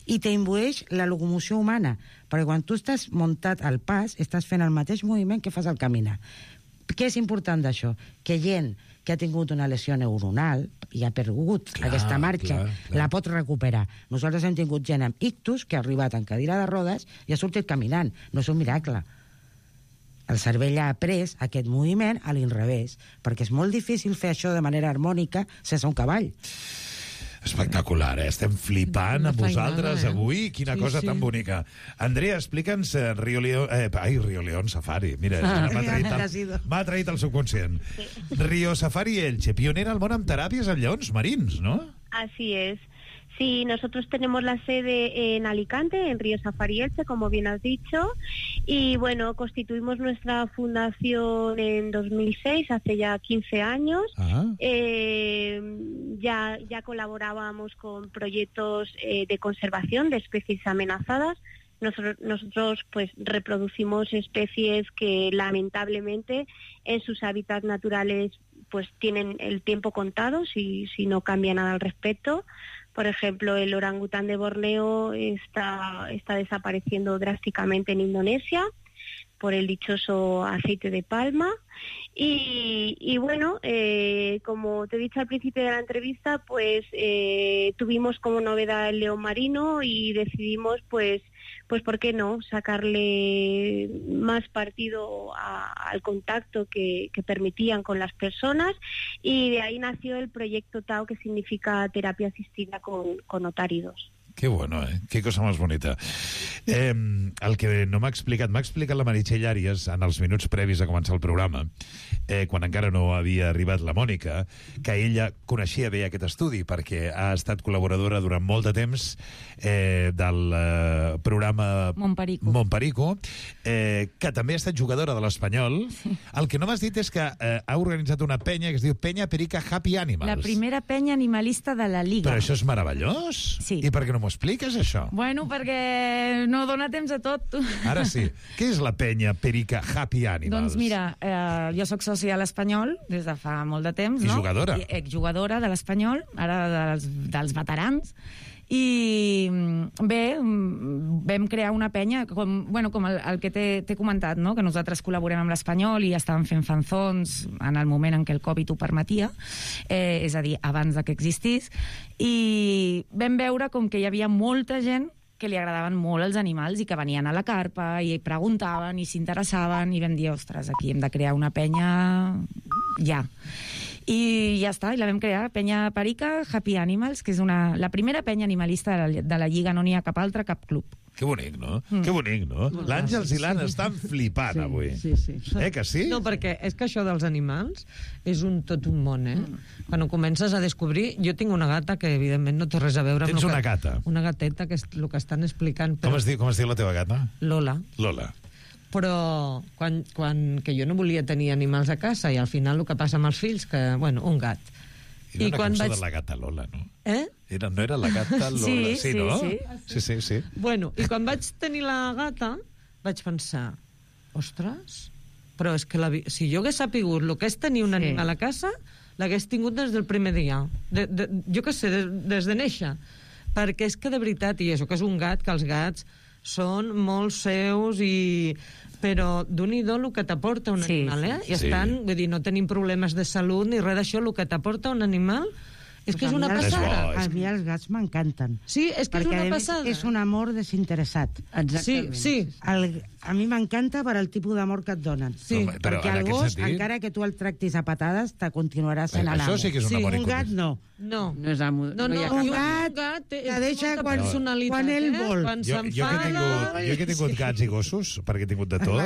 i t'imbueix la locomoció humana, perquè quan tu estàs muntat al pas, estàs fent el mateix moviment que fas al caminar. Què és important d'això? Que gent que ha tingut una lesió neuronal i ha perdut aquesta marxa, la pot recuperar. Nosaltres hem tingut gent amb ictus que ha arribat en cadira de rodes i ha sortit caminant. No és un miracle. El cervell ha après aquest moviment a l'inrevés, perquè és molt difícil fer això de manera harmònica sense un cavall. Espectacular, Estem flipant amb vosaltres avui. Quina cosa tan bonica. Andrea, explica'ns Rio León Safari. Mira, m'ha traït el subconscient. Rio Safari Elche, pionera al món amb teràpies en lleons marins, ¿no? Así es. Sí, nosotros tenemos la sede en Alicante, en Río Safari Elche, como bien has dicho, y bueno, constituimos nuestra fundación en 2006, hace ya 15 años. Ya colaborábamos con proyectos de conservación de especies amenazadas. Nosotros pues reproducimos especies que lamentablemente en sus hábitats naturales pues tienen el tiempo contado si no cambia nada al respecto. Por ejemplo, el orangután de Borneo está desapareciendo drásticamente en Indonesia por el dichoso aceite de palma. Y bueno, como te he dicho al principio de la entrevista, pues tuvimos como novedad el león marino y decidimos, pues ¿por qué no?, sacarle más partido al contacto que permitían con las personas, y de ahí nació el proyecto TAO, que significa terapia asistida con otáridos. Que bueno, que cosa més bonita. El que no m'ha explicat la Meritxell Àries en els minuts previs a començar el programa, quan encara no havia arribat la Mònica, que ella coneixia bé aquest estudi perquè ha estat col·laboradora durant molt de temps del programa Montperico, que també ha estat jugadora de l'Espanyol. El que no m'has dit és que ha organitzat una penya que es diu Penya Perica Happy Animals. La primera penya animalista de la Liga. Però això és meravellós. Sí. I per què no m'ho expliques, això? Bueno, perquè no dona temps a tot. Ara sí. Què és la penya Perica Happy Animals? Doncs mira, jo sóc sòcia de l'Espanyol des de fa molt de temps, no? I jugadora. Exjugadora de l'Espanyol, ara dels veterans. I bé, vam crear una penya, com el que t'he comentat, no? Que nosaltres col·laborem amb l'Espanyol i estàvem fent fanzons en el moment en què el Covid ho permetia, és a dir, abans que existís, i vam veure com que hi havia molta gent que li agradaven molt els animals i que venien a la carpa i preguntaven i s'interessaven i vam dir, ostres, aquí hem de crear una penya ja. I ja està, i la vam crear, Penya Perica Happy Animals, que és la primera penya animalista de la Lliga, no n'hi ha cap altra, cap club. Que bonic, no? Que bonic, no? L'Àngels i l'Anna estan flipant avui. Sí. Que sí? No, perquè és que això dels animals és tot un món, Quan ho comences a descobrir... Jo tinc una gata que, evidentment, no té res a veure amb... Tens una gata? Una gateta, que és el que estan explicant. Com es diu la teva gata? Lola. Però que jo no volia tenir animals a casa i al final el que passa amb els fills, que, bueno, un gat. Era una cançó de la gata Lola, no? No era la gata Lola? Sí, no? Sí. Bueno, i quan vaig tenir la gata vaig pensar, ostres, però és que si jo hagués sapigut el que és tenir un animal a casa, l'hagués tingut des del primer dia. Jo què sé, des de néixer. Perquè és que de veritat, i això que és un gat, que els gats són molt seus però d'un-i-do el que t'aporta un animal, I estan, vull dir, no tenim problemes de salut ni res d'això, el que t'aporta un animal és que és una passada. A mi els gats m'encanten. Sí, és que és una passada. Perquè és un amor desinteressat. Exactament. Sí. A mi m'encanta per al tipus d'amor que et donen. Sí. Perquè el gos, encara que tu el tractis a patades, te continuarà sent l'amo. Això sí que és un amor Un gat no. No és amo. Un gat que deixa quan ell vol. Jo que he tingut gats i gossos, perquè he tingut de tot,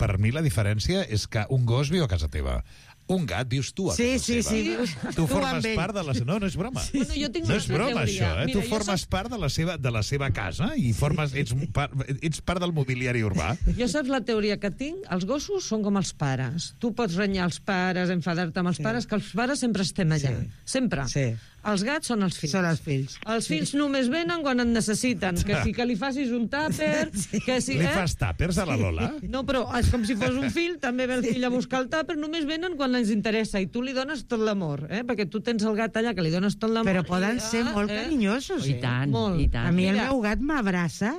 per mi la diferència és que un gos viu a casa teva. Un gat vius tu a casa seva. Sí. Tu formes part de la seva... No és broma. Bueno, jo tinc no és broma, teoria. Això. Tu formes part de la seva casa i ets part del mobiliari urbà. Jo saps la teoria que tinc? Els gossos són com els pares. Tu pots renyar els pares, enfadar-te amb els pares, que els pares sempre estem allà. Sempre. Sí. Els gats són els fills. Són els fills. Els fills només venen quan et necessiten. Que si que li facis un tàper... Que si, Li fas tàpers a la Lola? No, però és com si fos un fill, també ve el fill a buscar el tàper, només venen quan ens interessa i tu li dones tot l'amor, perquè tu tens el gat allà que li dones tot l'amor. Però poden ser molt carinyosos. I tant, molt. i tant. A mi el meu gat m'abraça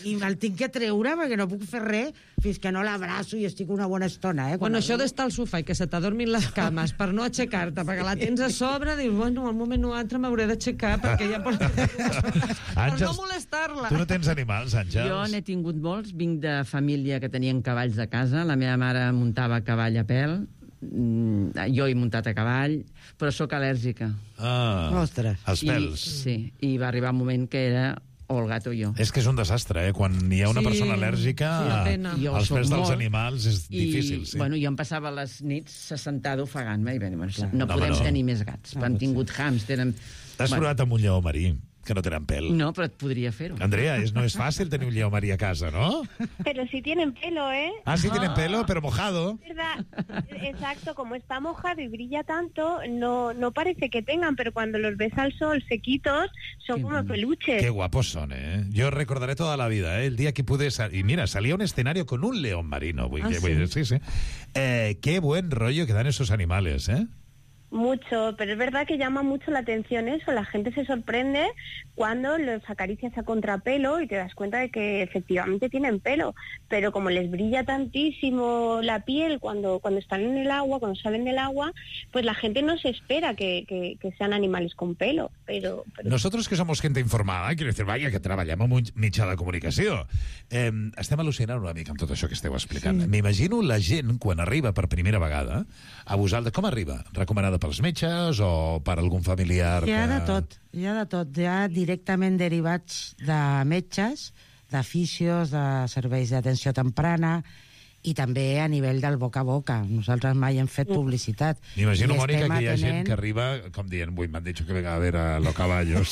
i me'l tinc que treure perquè no puc fer res fins que no l'abraço i estic una bona estona. Bueno, això d'estar al sofà i que se t'adormin les cames per no aixecar-te, perquè la tens a sobre, dius, bueno, al moment o altre m'hauré d'aixecar perquè ja pot... Per no molestar-la. Tu no tens animals, Àngels? Jo n'he tingut molts, vinc de família que tenien cavalls a casa, la meva mare muntava cavall a pèl, jo he muntat a cavall, però sóc al·lèrgica. Ostres. Els pèls. Sí, i va arribar un moment que era o el gat o jo. És que és un desastre, Quan hi ha una persona al·lèrgica, els pèls dels animals és difícil. Bueno, jo em passava les nits sentada ofegant-me i no podem tenir més gats. Han tingut hàmster... T'has provat amb un lleó marí, que no tenen pèl. No, però et podria fer-ho. Andrea, no és fàcil tenir un lleó marí a casa, ¿no? Pero sí tienen pelo, Ah, sí tienen pelo, pero mojado. ¿Verdad? Exacto, como está mojado y brilla tanto, no parece que tengan, pero cuando los ves al sol sequitos, son como peluches. Qué guapos son, Yo recordaré toda la vida, el día que pude... Y mira, salía a un escenario con un león marino. Sí. Qué buen rollo que dan esos animales, Mucho, pero es verdad que llama mucho la atención eso. La gente se sorprende cuando los acaricias a contrapelo y te das cuenta de que efectivamente tienen pelo, pero como les brilla tantísimo la piel cuando están en el agua, cuando salen del agua, pues la gente no se espera que sean animales con pelo. Pero... Nosotros que somos gente informada, quiero decir, vaya, que treballem amb un mitjà de comunicació, estem al·lucinant una mica amb tot això que esteu explicant. Sí. M'imagino la gent, quan arriba per primera vegada, a vosaltres, com arriba? Recomanada pels metges o per algun familiar? Hi ha de tot. Hi ha directament derivats de metges, de fisios, de serveis d'atenció temprana i també a nivell del boca a boca. Nosaltres mai hem fet publicitat. M'imagino, Mònica, que hi ha gent que arriba, com dient, m'han dit que venga a ver a los caballos.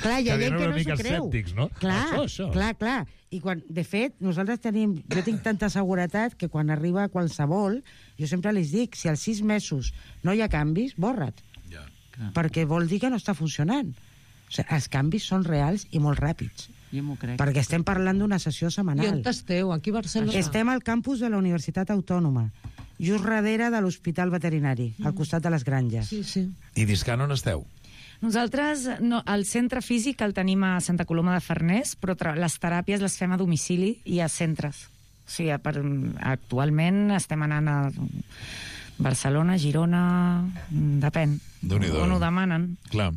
Clar, hi ha gent que no s'ho creu. Escèptics, no? Clar. I de fet, nosaltres jo tinc tanta seguretat que quan arriba qualsevol, jo sempre els dic, si als 6 mesos no hi ha canvis, borra't. Perquè vol dir que no està funcionant. O sigui, els canvis són reals i molt ràpids. Jo m'ho crec. Perquè estem parlant d'una sessió setmanal. I on esteu? Aquí a Barcelona? Estem al campus de la Universitat Autònoma, just darrere de l'Hospital Veterinari, al costat de les Granges. Sí. I Discan on esteu? Nosaltres, el centre físic el tenim a Santa Coloma de Farners, però les teràpies les fem a domicili i a centres. O sigui, actualment estem anant a Barcelona, Girona, depèn. On ho demanen. Clar.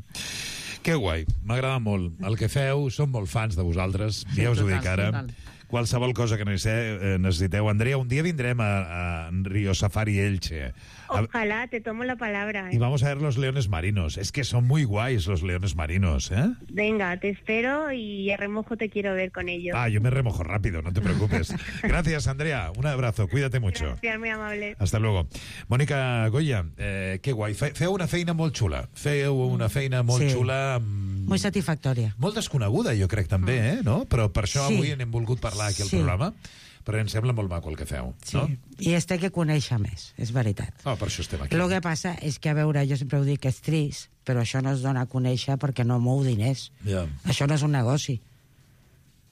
Que guai, m'agrada molt. El que feu, som molt fans de vosaltres, ja us ho dic ara. Qualsevol cosa que necessiteu. Andrea, un dia vindrem a Río Safari Elche. Ojalá, te tomo la palabra. Y vamos a ver los leones marinos. Es que son muy guays los leones marinos, ¿eh? Venga, te espero y a remojo te quiero ver con ellos. Yo me remojo rápido, no te preocupes. Gracias, Andrea. Un abrazo, cuídate mucho. Gracias, muy amable. Hasta luego. Mònica Goya, que guai. Feu una feina molt xula. Feu una feina molt xula. Molt satisfactòria. Molt desconeguda, jo crec, també, no? Però per això avui n'hem volgut parlar aquí al programa. Però em sembla molt maco el que feu, no? I es té que conèixer més, és veritat. Per això estem aquí. El que passa és que, a veure, jo sempre ho dic que és trist, però això no es dona a conèixer perquè no mou diners. Això no és un negoci.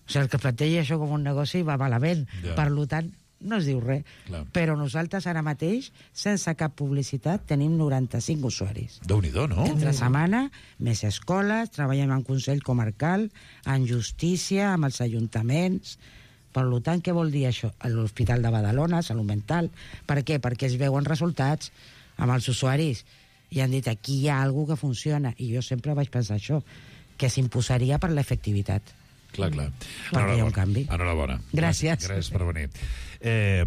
O sigui, el que planteja això com un negoci va malament. Per tant, no es diu res. Però nosaltres ara mateix, sense cap publicitat, tenim 95 usuaris. Déu-n'hi-do, no? Entre setmana, més escoles, treballem en Consell Comarcal, en Justícia, amb els ajuntaments. Per tant, què vol dir això? A l'Hospital de Badalona, Salut Mental. Per què? Perquè es veuen resultats amb els usuaris. I han dit, aquí hi ha alguna que funciona. I jo sempre vaig pensar això, que s'imposaria per l'efectivitat. Clar. Perquè hi ha un canvi. Enhorabona. Gràcies. Gràcies per venir.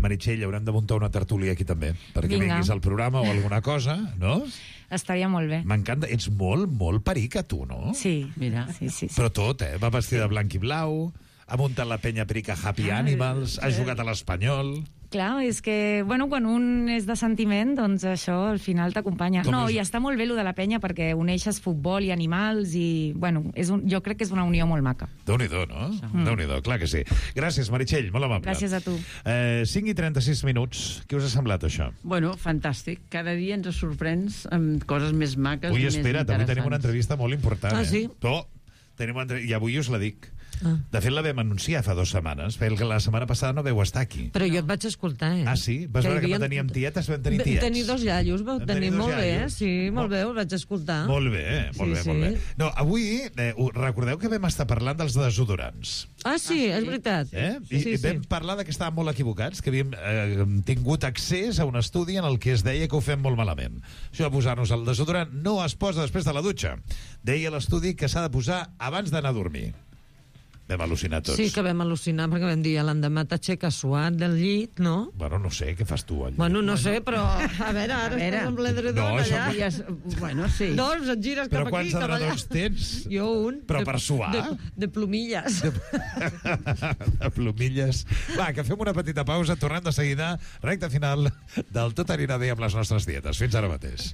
Meritxell, haurem de muntar una tertúlia aquí també, perquè vinguis al programa o alguna cosa, no? Estaria molt bé. M'encanta. Ets molt perica, tu, no? Sí, mira. Sí. Però tot, va vestida de blanc i blau, ha muntat la penya perica Happy Animals, ha jugat a l'Espanyol... Clar, és que, bueno, quan un és de sentiment, doncs això al final t'acompanya. I està molt bé lo de la penya perquè uneixes futbol i animals i, bueno, jo crec que és una unió molt maca. Déu-n'hi-do, no? Déu-n'hi-do, clar que sí. Gràcies, Meritxell, molt amable. Gràcies a tu. 5 i 36 minuts. Què us ha semblat, això? Bueno, fantàstic. Cada dia ens sorprens amb coses més maques i més interessants. Avui tenim una entrevista molt important. Sí? I avui us la dic. De fet, la vam anunciar fa 2 setmanes, perquè la setmana passada no vau estar aquí. Però jo et vaig escoltar, Ah, sí? Vas veure que no teníem tietes, vam tenir tiets. Tenir 2 iaios, vau tenir molt bé, sí, molt bé, ho vaig escoltar. Molt bé, molt bé. No, avui, recordeu que vam estar parlant dels desodorants. Ah, sí, és veritat. I vam parlar que estàvem molt equivocats, que havíem tingut accés a un estudi en el que es deia que ho fem molt malament. Això de posar-nos el desodorant no es posa després de la dutxa. Deia l'estudi que s'ha de posar abans d'anar a dormir. Vam al·lucinar tots. Sí, que vam al·lucinar perquè vam dir l'endemà t'aixeques suat del llit, no? Bueno, no sé, què fas tu al llit? Bueno, no sé, però a veure, ara estàs amb l'edredon allà. Bueno, sí. Doncs et gires cap aquí, cap allà. Però quants edredons tens? Jo un. Però per suar? De plomilles. De plomilles. Va, que fem una petita pausa, tornem de seguida, recta final del Tot anirà bé amb les nostres dietes. Fins ara mateix.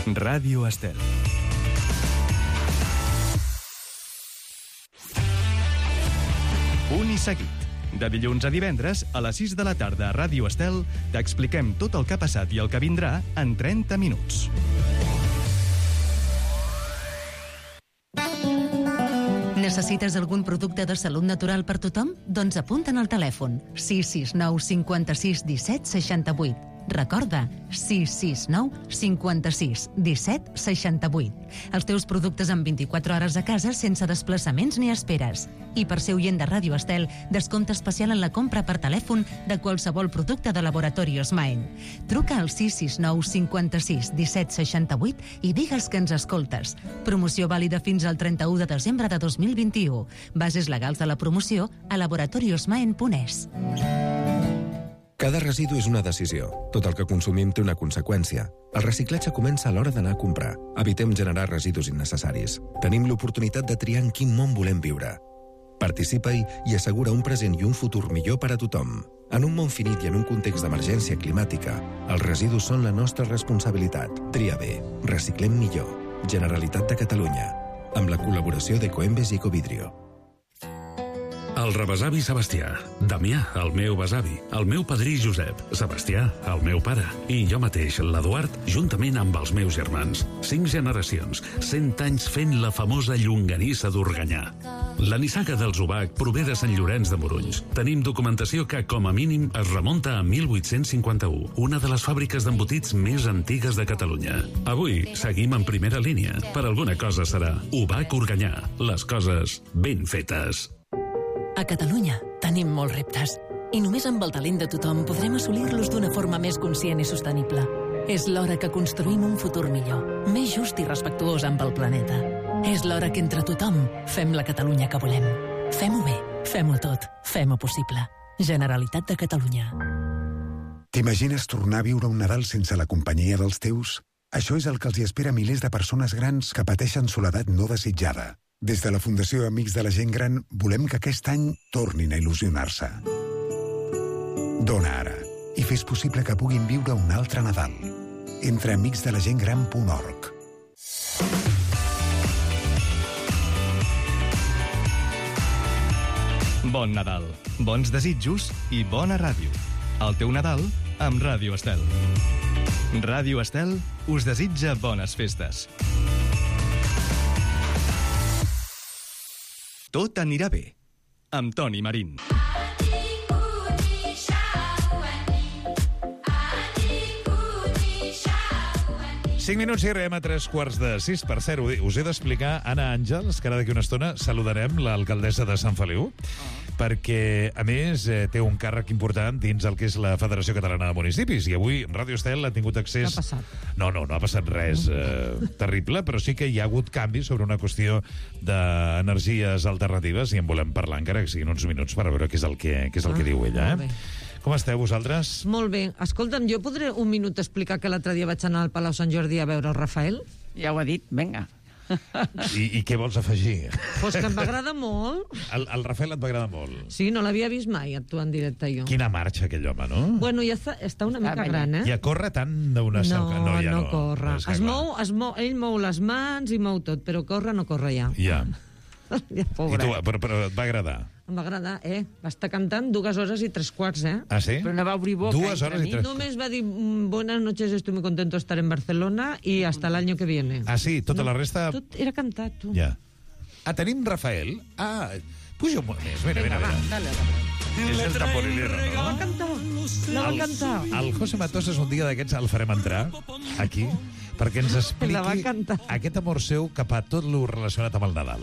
Ràdio Estel. Punt i seguit. De dilluns a divendres, a les 6 de la tarda a Ràdio Estel, t'expliquem tot el que ha passat i el que vindrà en 30 minuts. Necessites algun producte de salut natural per tothom? Doncs apunta'n al telèfon 669 56 17 68. Recorda, 669 56 17 68. Els teus productes en 24 hores a casa sense desplaçaments ni esperes. I per ser oient de Ràdio Estel, descompte especial en la compra per telèfon de qualsevol producte de Laboratorios Maen. Truca al 669 56 17 68 i digue'ls que ens escoltes. Promoció vàlida fins al 31 de desembre de 2021. Bases legals de la promoció a laboratoriosmaen.es. Cada residu és una decisió. Tot el que consumim té una conseqüència. El reciclatge comença a l'hora d'anar a comprar. Evitem generar residus innecessaris. Tenim l'oportunitat de triar en quin món volem viure. Participa-hi i assegura un present i un futur millor per a tothom. En un món finit i en un context d'emergència climàtica, els residus són la nostra responsabilitat. Tria bé. Reciclem millor. Generalitat de Catalunya. Amb la col·laboració d'Ecoembes i Ecovidrio. El rebesavi Sebastià, Damià, el meu besavi, el meu padrí Josep, Sebastià, el meu pare, i jo mateix, l'Eduard, juntament amb els meus germans. 5 generacions, 100 anys fent la famosa llonganissa d'Organyà. La nissaga dels Ubac prové de Sant Llorenç de Morunys. Tenim documentació que, com a mínim, es remunta a 1851, una de les fàbriques d'embotits més antigues de Catalunya. Avui seguim en primera línia. Per alguna cosa serà Ubac Organyà. Les coses ben fetes. A Catalunya tenim molts reptes i només amb el talent de tothom podrem assolir-los d'una forma més conscient i sostenible. És l'hora que construïm un futur millor, més just i respectuós amb el planeta. És l'hora que entre tothom fem la Catalunya que volem. Fem-ho bé, fem-ho tot, fem-ho possible. Generalitat de Catalunya. T'imagines tornar a viure un Nadal sense la companyia dels teus? Això és el que els hi espera a milers de persones grans que pateixen soledat no desitjada. Des de la Fundació Amics de la Gent Gran volem que aquest any tornin a il·lusionar-se. Dona ara i fes possible que puguin viure un altre Nadal. Entra a amicsdelagentgran.org. Bon Nadal, bons desitjos i bona ràdio. El teu Nadal amb Ràdio Estel. Ràdio Estel us desitja bones festes. Tot anirà bé, amb Toni Marín. 5 minuts i arribem a 3:45. Per cert, us he d'explicar, Anna Àngels, que ara d'aquí una estona saludarem l'alcaldessa de Sant Feliu, perquè, a més, té un càrrec important dins el que és la Federació Catalana de Municipis, i avui Ràdio Estel ha tingut accés... Què ha passat? No ha passat res terrible, però sí que hi ha hagut canvis sobre una qüestió d'energies alternatives, i en volem parlar, encara que siguin uns minuts, per veure què és el que diu ella. Com esteu, vosaltres? Molt bé. Escolta'm, jo podré un minut explicar que l'altre dia vaig anar al Palau Sant Jordi a veure el Rafael? Ja ho ha dit, vinga. I què vols afegir? Pues que em va agradar molt. El Rafael et va agradar molt? Sí, no l'havia vist mai actuar en directe jo. Quina marxa, aquell home, no? Bueno, ja està una mica gran, eh? Ja corre tant d'una salca. No corre. Ell mou les mans i mou tot, però corre no corre ja. Ja. Ja, pobre. I tu, però et va agradar? Em va agradar, Va estar cantant 2 horas y 3/4, Ah, sí? Però no va obrir boca. 2 horas y 3/4. Només va dir, buenas noches, estoy muy contento de estar en Barcelona y hasta el año que viene. Ah, sí? Tota la resta... Tot era cantat, tu. Ja. Tenim Rafael. Puja un moment més. Mira. Dale. És el tamborilero, no? La va cantar. El José Matosas un dia d'aquests el farem entrar aquí perquè ens expliqui aquest amor seu cap a tot lo relacionat amb el Nadal.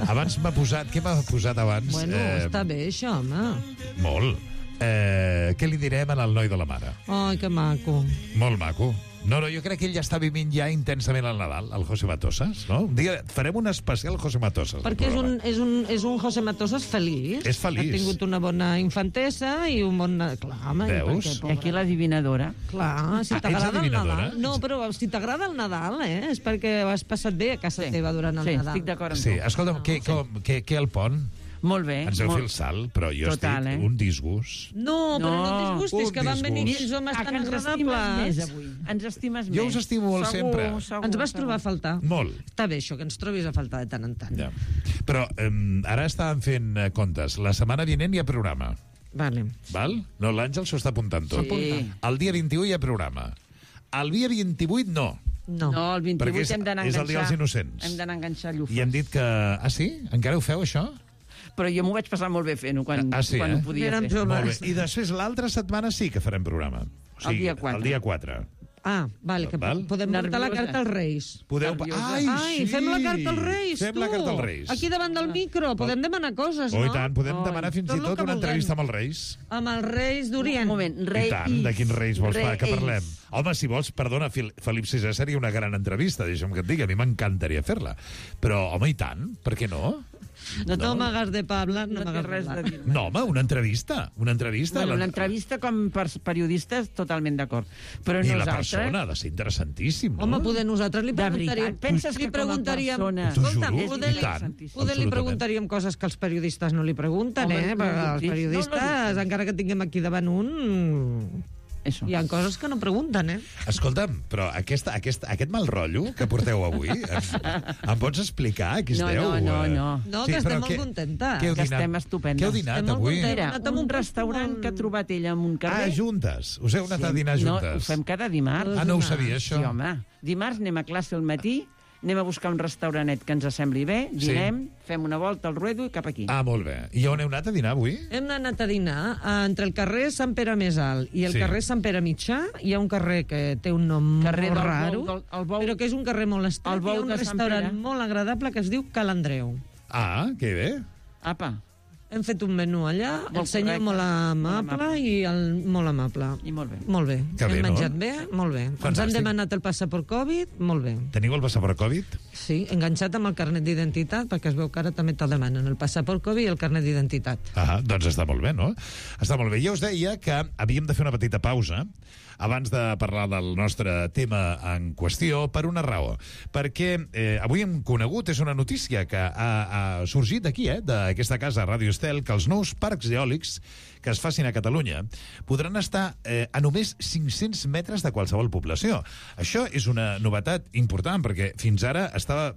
Abans m'ha posat... Què m'ha posat abans? Bueno, està bé, això, home. Molt. Què li direm al noi de la mare? Ai, que maco. Molt maco. No, jo crec que ell ja està vivint ja intensament el Nadal, el José Matosas, no? Un dia farem un especial José Matosas. Perquè és un José Matosas feliç. És feliç. Ha tingut una bona infantesa i un bon... Clar, home, veus? I aquí l'adivinadora. Clar, si t'agrada el Nadal... No, però si t'agrada el Nadal, és perquè has passat bé a casa teva durant el Nadal. Sí, estic d'acord amb tu. Sí, escolta'm, què el pont? Molt bé. Ens heu fet el salt, però jo estic un disgust. No, però no et disgustis, que van venir aquells homes tan agradables. Ens estimes més. Jo us estimo molt sempre. Ens vas trobar a faltar. Molt. Està bé això, que ens trobis a faltar de tant en tant. Ja. Però ara estàvem fent comptes. La setmana vinent hi ha programa. Vale. Val? No, l'Àngel s'ho està apuntant tot. Sí. El dia 21 hi ha programa. El dia 28 no. No, el 28 hem d'anar a enganxar. És el dia dels innocents. Hem d'anar a enganxar llufes. I hem dit que... Ah, sí? Encara ho feu, això? Però jo m'ho vaig passar molt bé fent-ho quan ho podia fer. Molt bé. I després l'altra setmana sí que farem programa. O sigui, el dia 4. Ah, vale, que podem portar la carta als Reis. Podeu... Ai, fem la carta als Reis, Fem la carta als Reis. Aquí davant del micro, podem demanar coses, no? I tant, podem demanar fins i tot una entrevista amb els Reis. Amb els Reis d'Orient. Un moment, Reis. I tant, de quins Reis vols que parlem? Home, si vols, perdona, Felip VI seria una gran entrevista, deixa'm que et digui, a mi m'encantaria fer-la. Però, home, i tant, per què no? No m'hagas de parlar, no m'hagas res de dir. No, home, una entrevista. Una entrevista com per periodistes, totalment d'acord. Però i nosaltres... la persona ha de ser interessantíssim, no? Home, poder nosaltres li preguntaríem... Penses que com a persona... Poder li preguntaríem coses que els periodistes no li pregunten, perquè els periodistes, encara que tinguem aquí davant un... Hi ha coses que no pregunten, Escolta'm, però aquest mal rotllo que porteu avui, em pots explicar a qui esteu? No, que estem molt contentes. Que estem estupendes. Què heu dinat avui? Era un restaurant que ha trobat ella en un carrer. Juntes? Us heu anat a dinar juntes? No, ho fem cada dimarts. No ho sabia, això? Sí, home. Dimarts anem a classe al matí anem a buscar un restauranet que ens sembli bé, dinem, fem una volta al ruedo i cap aquí. Ah, molt bé. I on heu anat a dinar avui? Hem anat a dinar entre el carrer Sant Pere Més Alt i el carrer Sant Pere Mitjà. Hi ha un carrer que té un nom molt raro, però que és un carrer molt estret. Hi ha un restaurant molt agradable que es diu Ca l'Andreu. Ah, que bé. Apa. Hem fet un menú allà, el senyor molt amable i el molt amable. I molt bé. Molt bé. Hem menjat bé, molt bé. Ens han demanat el passaport Covid, molt bé. Teniu el passaport Covid? Sí, enganxat amb el carnet d'identitat, perquè es veu que ara també te'l demanen, el passaport Covid i el carnet d'identitat. Ah, doncs està molt bé, no? Està molt bé. Jo us deia que havíem de fer una petita pausa abans de parlar del nostre tema en qüestió, per una raó. Perquè avui hem conegut, és una notícia que ha sorgit d'aquí, d'aquesta casa, Ràdio Estel, que els nous parcs eòlics que es facin a Catalunya podran estar a només 500 metres de qualsevol població. Això és una novetat important, perquè fins ara estava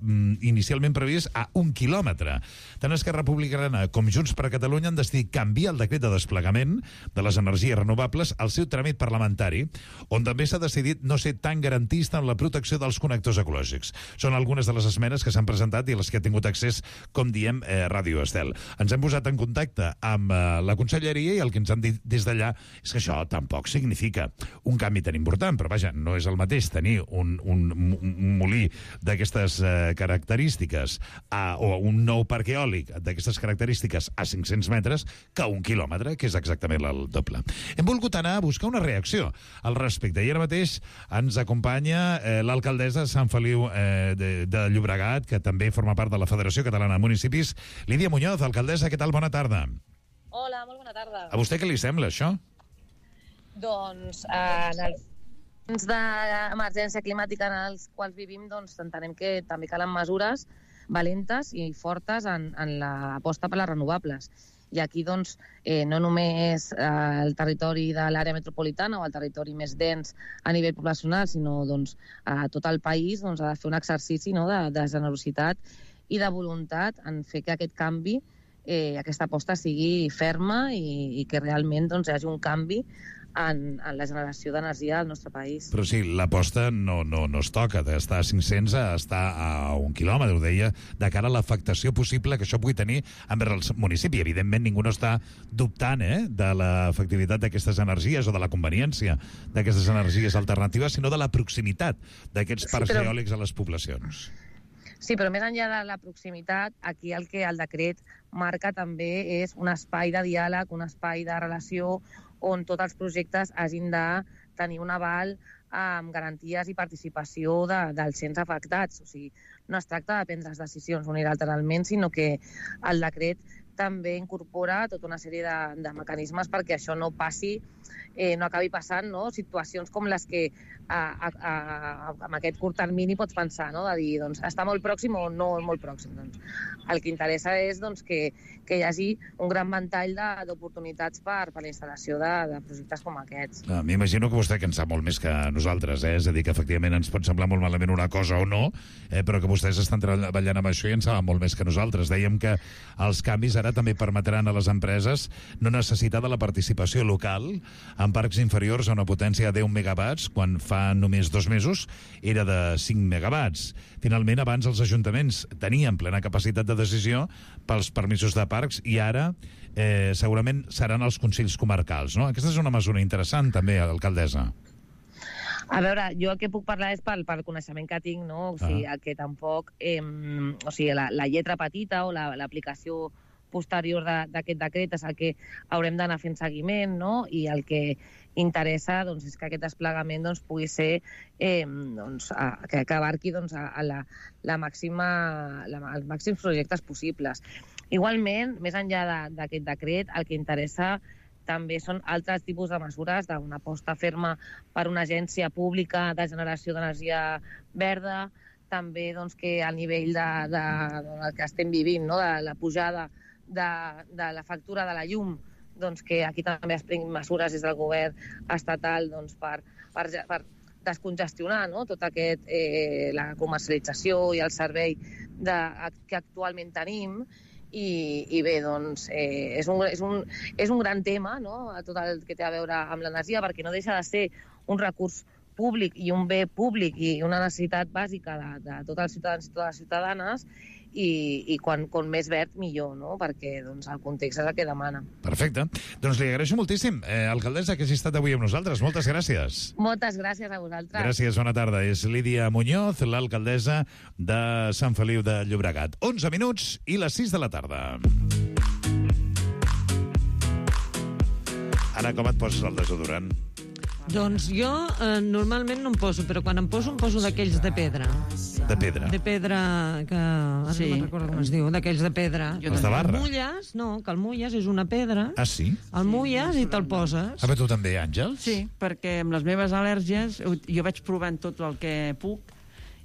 inicialment previst a 1 quilòmetre. Tant Esquerra Republicana com Junts per Catalunya han decidit canviar el decret de desplegament de les energies renovables al seu tràmit parlamentari, on també s'ha decidit no ser tan garantista en la protecció dels connectors ecològics. Són algunes de les esmenes que s'han presentat i les que ha tingut accés, com diem, Ràdio Estel. Ens hem posat en contacte amb la conselleria i el que ens han dit des d'allà és que això tampoc significa un canvi tan important, però vaja, no és el mateix tenir un molí d'aquestes característiques o un nou parc eòlic d'aquestes característiques a 500 metres que a 1 quilòmetre, que és exactament el doble. Hem volgut anar a buscar una reacció al respecte. I ara mateix ens acompanya l'alcaldessa de Sant Feliu de Llobregat, que també forma part de la Federació Catalana de Municipis, Lídia Muñoz. Alcaldessa, què tal? Bona tarda. Hola, molt bona tarda. A vostè què li sembla, això? Doncs, en els temps d'emergència climàtica en els quals vivim, doncs entenem que també calen mesures valentes i fortes en l'aposta per les renovables. I aquí, doncs, no només el territori de l'àrea metropolitana o el territori més dens a nivell poblacional, sinó doncs, a tot el país doncs, ha de fer un exercici de generositat i de voluntat en fer que aquest canvi, aquesta aposta sigui ferma i que realment doncs, hi hagi un canvi en la generació d'energia al nostre país. Però sí, l'aposta no es toca, d'estar a 500 a estar a 1 quilòmetre, ho deia, de cara a l'afectació possible que això pugui tenir envers el municipi. Evidentment, ningú no està dubtant de l'efectivitat d'aquestes energies o de la conveniència d'aquestes energies alternatives, sinó de la proximitat d'aquests parcs eòlics a les poblacions. Sí, però més enllà de la proximitat, aquí el que el decret marca també és un espai de diàleg, un espai de relació on tots els projectes hagin de tenir un aval amb garanties i participació dels ens afectats. O sigui, no es tracta de prendre decisions unilateralment, sinó que el decret també incorpora tota una sèrie de mecanismes perquè això no passi, no acabi passant, no? Situacions com les que amb aquest curt termini pots pensar, no? De dir, doncs, està molt pròxim o no molt pròxim. Doncs, el que interessa és doncs, que hi hagi un gran ventall d'oportunitats per la instal·lació de projectes com aquests. M'imagino que vostè que en sap molt més que nosaltres, és a dir, que efectivament ens pot semblar molt malament una cosa o no, però que vostès estan treballant amb això i en saben molt més que nosaltres. Dèiem que els canvis ara també permetran a les empreses no necessitar de la participació local en parcs inferiors a una potència de 10 megawatts, quan fa només 2 mesos era de 5 megawatts. Finalment, abans els ajuntaments tenien plena capacitat de decisió pels permisos de parcs i ara segurament seran els consells comarcals, no? Aquesta és una mesura interessant també, alcaldessa. A veure, jo el que puc parlar és pel coneixement que tinc, no? O sigui, que tampoc... o sigui, la lletra petita o l'aplicació posterior d'aquest decret és el que haurem d'anar fent seguiment, no? I el que interessa doncs, és que aquest desplegament doncs, pugui ser que abarqui doncs, els màxims projectes possibles. Igualment, més enllà d'aquest decret, el que interessa també són altres tipus de mesures d'una aposta ferma per una agència pública de generació d'energia verda, també doncs, que al nivell del que estem vivint, no? De la pujada de la factura de la llum, doncs que aquí també es prenguin mesures des del govern estatal doncs, per descongestionar, no? Tot aquest, la comercialització i el servei que actualment tenim. I bé, doncs, és un gran tema, no? Tot el que té a veure amb l'energia, perquè no deixa de ser un recurs públic i un bé públic i una necessitat bàsica de tots els ciutadans i totes les ciutadanes, i com més verd millor, no? Perquè doncs, el context és el que demana. Perfecte. Doncs li agraeixo moltíssim, alcaldessa, que hagi estat avui amb nosaltres. Moltes gràcies. Moltes gràcies a vosaltres. Gràcies, bona tarda. És Lídia Muñoz, l'alcaldessa de Sant Feliu de Llobregat. 11 minuts i les 6 de la tarda. Anna, com et poses el desodorant? Doncs jo normalment no em poso, però quan em poso d'aquells de pedra. De pedra? De pedra, que ara no me'n recordo com es diu, d'aquells de pedra. Els de barra? El mulles, no, que el mulles és una pedra. Ah, sí? El mulles i te'l poses. Ah, però tu també, Àngels? Sí, perquè amb les meves al·lèrgies jo vaig provant tot el que puc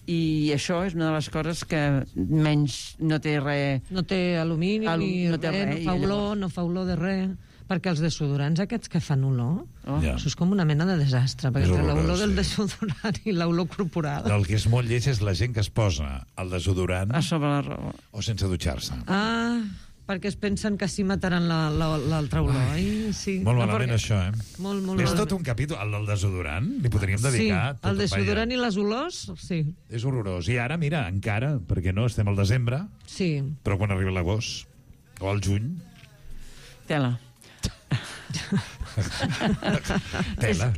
i això és una de les coses que menys no té res... No té alumini, no fa olor de res. Perquè els desodorants aquests que fan olor, això és com una mena de desastre, perquè entre l'olor del desodorant i l'olor corporal... El que és molt lleig és la gent que es posa el desodorant... A sobre la roba. O sense dutxar-se. Ah, perquè es pensen que sí mataran l'altra olor. Ai, sí. Molt malament, això, Molt és tot un capítol, el del desodorant, li podríem dedicar... Sí, el desodorant i les olors, sí. És horrorós. I ara, mira, encara, perquè no, estem al desembre, sí. Però quan arriba l'agost, o el juny... Tela. Tela,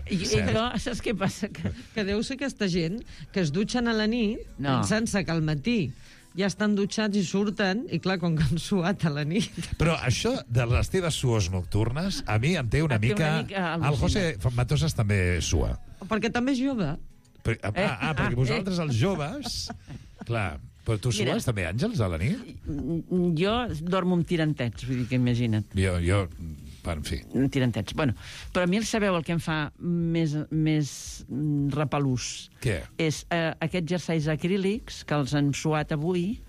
saps què passa? Que deu ser aquesta gent que es dutxen a la nit pensant-se que al matí ja estan dutxats i surten, i clar, com que han suat a la nit. Però això de les teves suors nocturnes, a mi em té una mica... El José Matosas també sua. Perquè també és jove. Perquè vosaltres, els joves... Clar, però tu sues també, Àngels, a la nit? Jo dormo amb tirantets, vull dir que imagina't. Jo en fi. Tirantets. Bueno, però a mi sabeu el que em fa més repelús? Què? És aquests jerseis acrílics que els han suat avui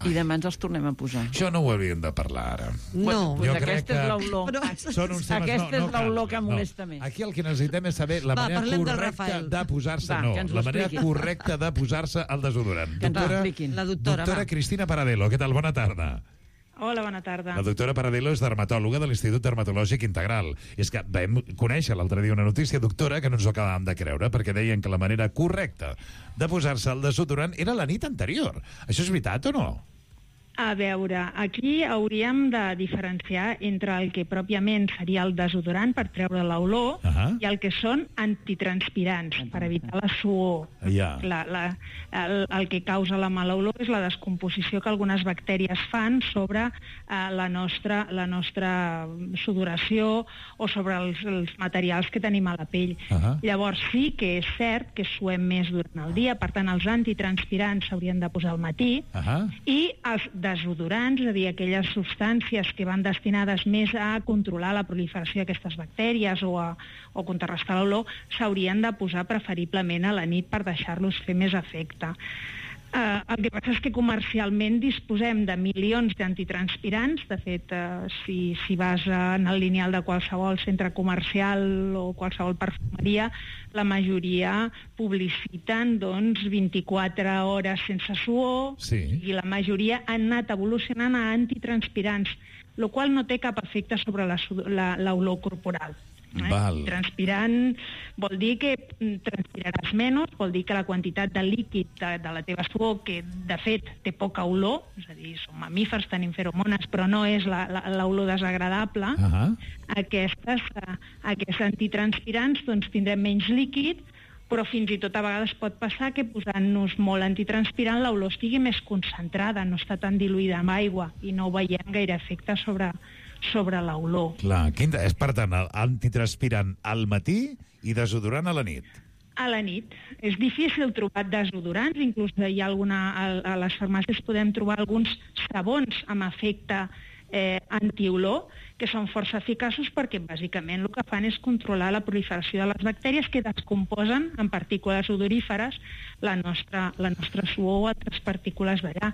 i demà ens els tornem a posar. Això no ho hauríem de parlar ara. No. Pues aquesta és l'olor. Aquesta és l'olor que molesta més. Aquí el que necessitem és saber la manera correcta de posar-se... la manera correcta de posar-se el desodorant. Doctora Cristina Paradelo, què tal? Bona tarda. Hola, bona tarda. La doctora Paradelo és dermatòloga de l'Institut Dermatològic Integral. És que vam conèixer l'altre dia una notícia, doctora, que no ens ho acabàvem de creure, perquè deien que la manera correcta de posar-se el desodorant era la nit anterior. Això és veritat o no? A veure, aquí hauríem de diferenciar entre el que pròpiament seria el desodorant per treure l'olor i el que són antitranspirants, per evitar la suor. El que causa la mala olor és la descomposició que algunes bactèries fan sobre la nostra sudoració o sobre els materials que tenim a la pell. Llavors sí que és cert que suem més durant el dia, per tant els antitranspirants s'haurien de posar al matí i els desodorants, és a dir, aquelles substàncies que van destinades més a controlar la proliferació d'aquestes bactèries o contrarrestar l'olor, s'haurien de posar preferiblement a la nit per deixar-los fer més efecte. El que passa és que comercialment disposem de milions d'antitranspirants. De fet, si vas en el lineal de qualsevol centre comercial o qualsevol perfumeria, la majoria publiciten 24 hores sense suor i la majoria han anat evolucionant a antitranspirants, el qual no té cap efecte sobre l'olor corporal. Transpirant vol dir que transpiraràs menys, vol dir que la quantitat de líquid de la teva suor, que de fet té poca olor, és a dir, som mamífers, tenim feromones, però no és l'olor desagradable, aquests antitranspirants tindrem menys líquid, però fins i tot a vegades pot passar que posant-nos molt antitranspirant l'olor estigui més concentrada, no està tan diluïda amb aigua i no veiem gaire efecte sobre l'olor. Clar, és per tant antitranspirant al matí i desodorant a la nit. A la nit. És difícil trobar desodorants, inclús hi ha a les farmàcies podem trobar alguns sabons amb efecte antiolor, que són força eficaços perquè bàsicament el que fan és controlar la proliferació de les bactèries que descomposen en partícules odoríferes la nostra suor o altres partícules d'allà.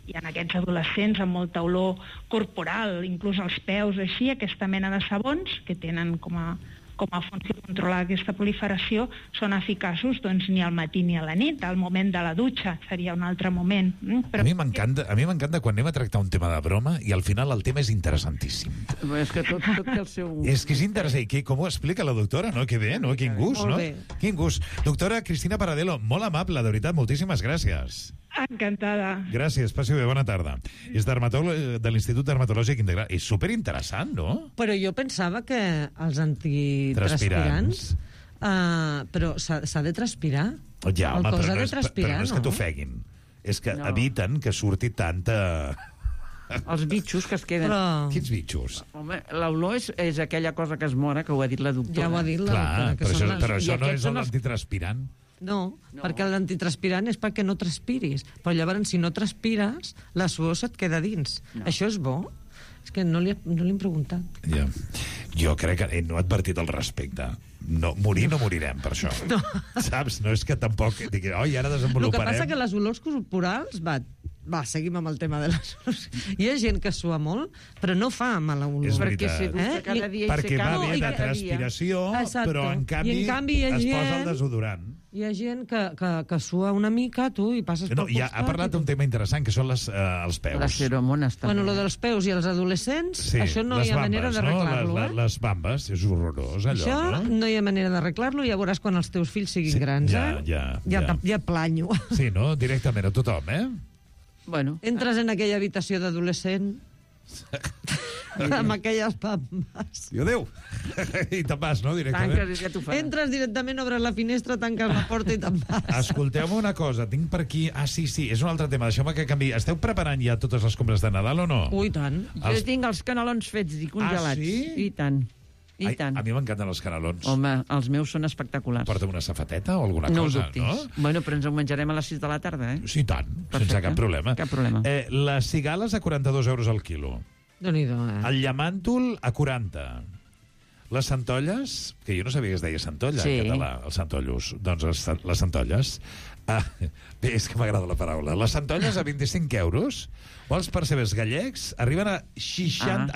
I en aquests adolescents amb molta olor corporal, inclús els peus, així, aquesta mena de sabons que tenen com com a funció de controlar aquesta proliferació, són eficaços doncs, ni al matí ni a la nit. Al moment de la dutxa seria un altre moment. Però... A mi m'encanta quan anem a tractar un tema de broma i al final el tema és interessantíssim. És que tot té el seu... És que és interessant. Com ho explica la doctora, no? Que bé, no? Quin gust, no? Quin gust. Doctora Cristina Paradelo, molt amable, de veritat, moltíssimes gràcies. Encantada. Gràcies, passi bé, bona tarda. És dermatòleg de l'Institut Dermatològic Integral. És superinteressant, no? Però jo pensava que els antitranspirants... però s'ha de transpirar. Ja, home, però no és que t'ofeguin. És que eviten que surti tanta... Els bitxos que es queden... Però... Quins bitxos? Home, l'olor és aquella cosa que es mora, que ho ha dit la doctora. Ja ho ha dit la doctora. Però això no és l'antitranspirant. No, perquè l'antitranspirant és perquè no transpiris. Però llavors, si no transpires, la suor se't queda dins. Això és bo? És que no li hem preguntat. Ja. Jo crec que no he advertit al respecte. No, morir no morirem per això. No. Saps? No és que tampoc... Oi, ara desenvoluparem... El que passa que les olors corporals... Va, seguim amb el tema de les olors. Hi ha gent que sua molt, però no fa mala olor. És veritat. Perquè va bé de transpiració, però en canvi es posa el desodorant. Hi ha gent que sua una mica, tu, i passes pel costat... Ha parlat d'un tema interessant, que són els peus. Les feromones, també. Bueno, lo dels peus i els adolescents, això no hi ha manera d'arreglar-lo. Les bambes, és horrorós, allò, no? Això no hi ha manera d'arreglar-lo, ja veuràs quan els teus fills siguin grans, Ja planyo. Sí, no? Directament a tothom, Bueno. Entres en aquella habitació d'adolescent amb aquelles bambes. I adéu. I te'n vas, no? Directament. Tanques, ja t'ho faràs. Entres directament, obres la finestra, tanques la porta i te'n vas. Escolteu-me una cosa, tinc per aquí... Sí, és un altre tema, deixeu-me que canviï. Esteu preparant ja totes les compres de Nadal o no? Ui, tant. Jo tinc els canelons fets i congelats. Sí? I tant. I tant. A mi m'encanten els canelons. Home, els meus són espectaculars. Porta una safateta o alguna cosa, no? Bueno, però ens ho menjarem a les 6 de la tarda, Sí, tant, sense cap problema. Cap problema. Les cigales a 42 euros al quilo. Déu-n'hi-do, El llamàntol a 40. Les centolles, que jo no sabia que es deia centolla en català, els centollos. Doncs les centolles... Bé, és que m'agrada la paraula. Les centolles a 25 euros o els percebes gallecs arriben a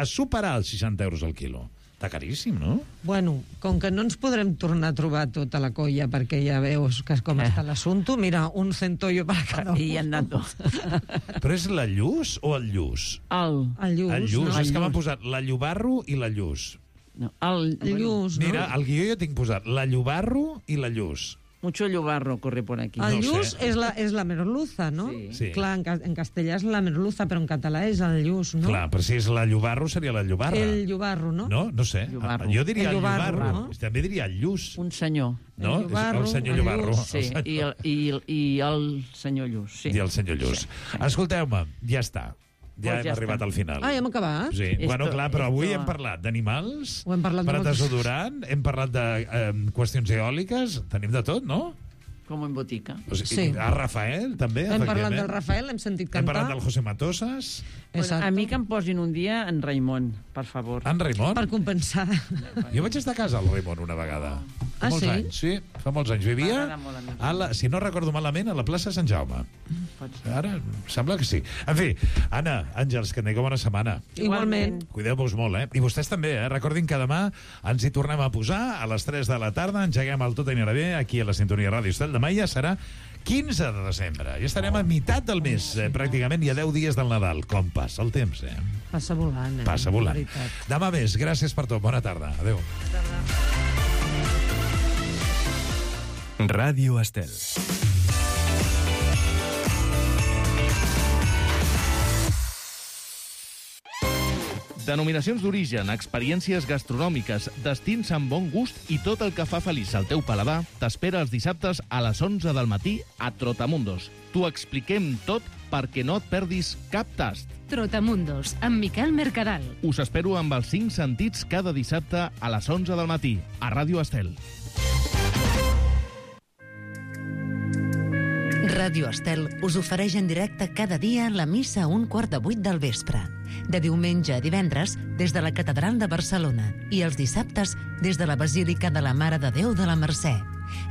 superar els 60 euros al quilo. Està caríssim, no? Bueno, com que no ens podrem tornar a trobar tota la colla perquè ja veus que com està l'assumpte, mira, un centollo per cada un. I han anat dos. Però és la lluç o el lluç? El lluç. El lluç, no? És que m'han posat la llubarro i la lluç. No, el lluç, no? Mira, al guió jo tinc posat la llubarro i la lluç. Mucho llobarro corre por aquí. El lluç és la merluza, no? Sí. Clar, en castellà és la merluza, però en català és el lluç, no? Clar, però si és la llobarro seria la llobarra. El llobarro, no? No sé. Llobarro. Jo diria el llobarro. No? També diria el lluç. Un senyor. No? El senyor llobarro. Sí, i el senyor Lluç. Sí. I el senyor Lluç. Escolteu-me, ja està. Ja hem arribat al final. Ja hem acabat? Sí. Bueno, clar, però avui hem parlat d'animals, hem parlat de desodorant, hem parlat de qüestions eòliques, tenim de tot, no? Com en botica. Sí. A Rafael, també, hem parlat del Rafael, hem sentit cantar. Hem parlat del José Matosas. Bueno, a mi que em posin un dia en Raimon, per favor. En Raimon? Per compensar. Jo vaig estar a casa al Raimon una vegada. Fa molts anys. Sí, fa molts anys. Vivia, si no recordo malament, a la plaça Sant Jaume. Ara, sembla que sí. En fi, Anna, Àngels, que tingueu bona setmana. Igualment. Cuideu-vos molt, I vostès també, Recordin que demà ens hi tornem a posar a les 3 de la tarda, engeguem el Tot anirà bé, aquí a la Sintonia Ràdio Estel. Demà ja serà 15 de desembre. Ja estarem a meitat del mes, pràcticament, i a 10 dies del Nadal. Com passa el temps, Passa volant, Passa volant. Demà més. Gràcies per tot. Bona tarda. Adéu. Ràdio Estel. Denominacions d'origen, experiències gastronòmiques, destins amb bon gust i tot el que fa feliç el teu paladar t'espera els dissabtes a les 11 del matí a Trotamundos. T'ho expliquem tot perquè no et perdis cap tast. Trotamundos, amb Miquel Mercadal. Us espero amb els 5 sentits cada dissabte a les 11 del matí a Ràdio Estel. Ràdio Estel us ofereix en directe cada dia la missa a 7:15 del vespre. De diumenge a divendres, des de la Catedral de Barcelona, i els dissabtes, des de la Basílica de la Mare de Déu de la Mercè.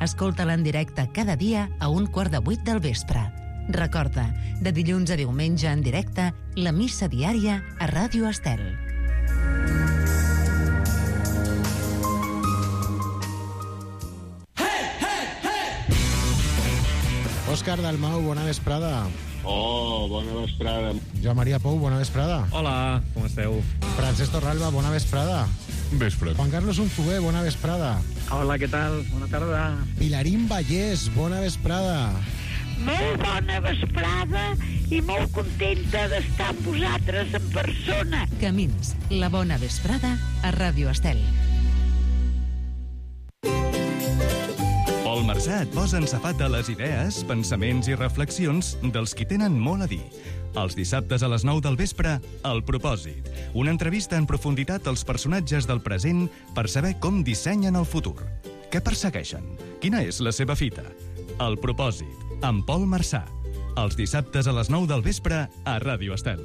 Escolta-la en directe cada dia a 7:15 del vespre. Recorda, de dilluns a diumenge en directe, la missa diària a Ràdio Estel. Òscar Dalmau, bona vesprada. Oh, bona vesprada. Joan Maria Pou, bona vesprada. Hola, com esteu? Francesc Torralba, bona vesprada. Vespre. Juan Carlos Unzué, bona vesprada. Hola, què tal? Bona tarda. Pilarín Vallès, bona vesprada. Molt bona vesprada i molt contenta d'estar amb vosaltres en persona. Camins, la bona vesprada a Ràdio Estel. Pol Marsà et posa en safat de les idees, pensaments i reflexions dels qui tenen molt a dir. Els dissabtes a les 9 del vespre, El Propòsit. Una entrevista en profunditat als personatges del present per saber com dissenyen el futur. Què persegueixen? Quina és la seva fita? El Propòsit, amb Pol Marsà. Els dissabtes a les 9 del vespre a Ràdio Estel.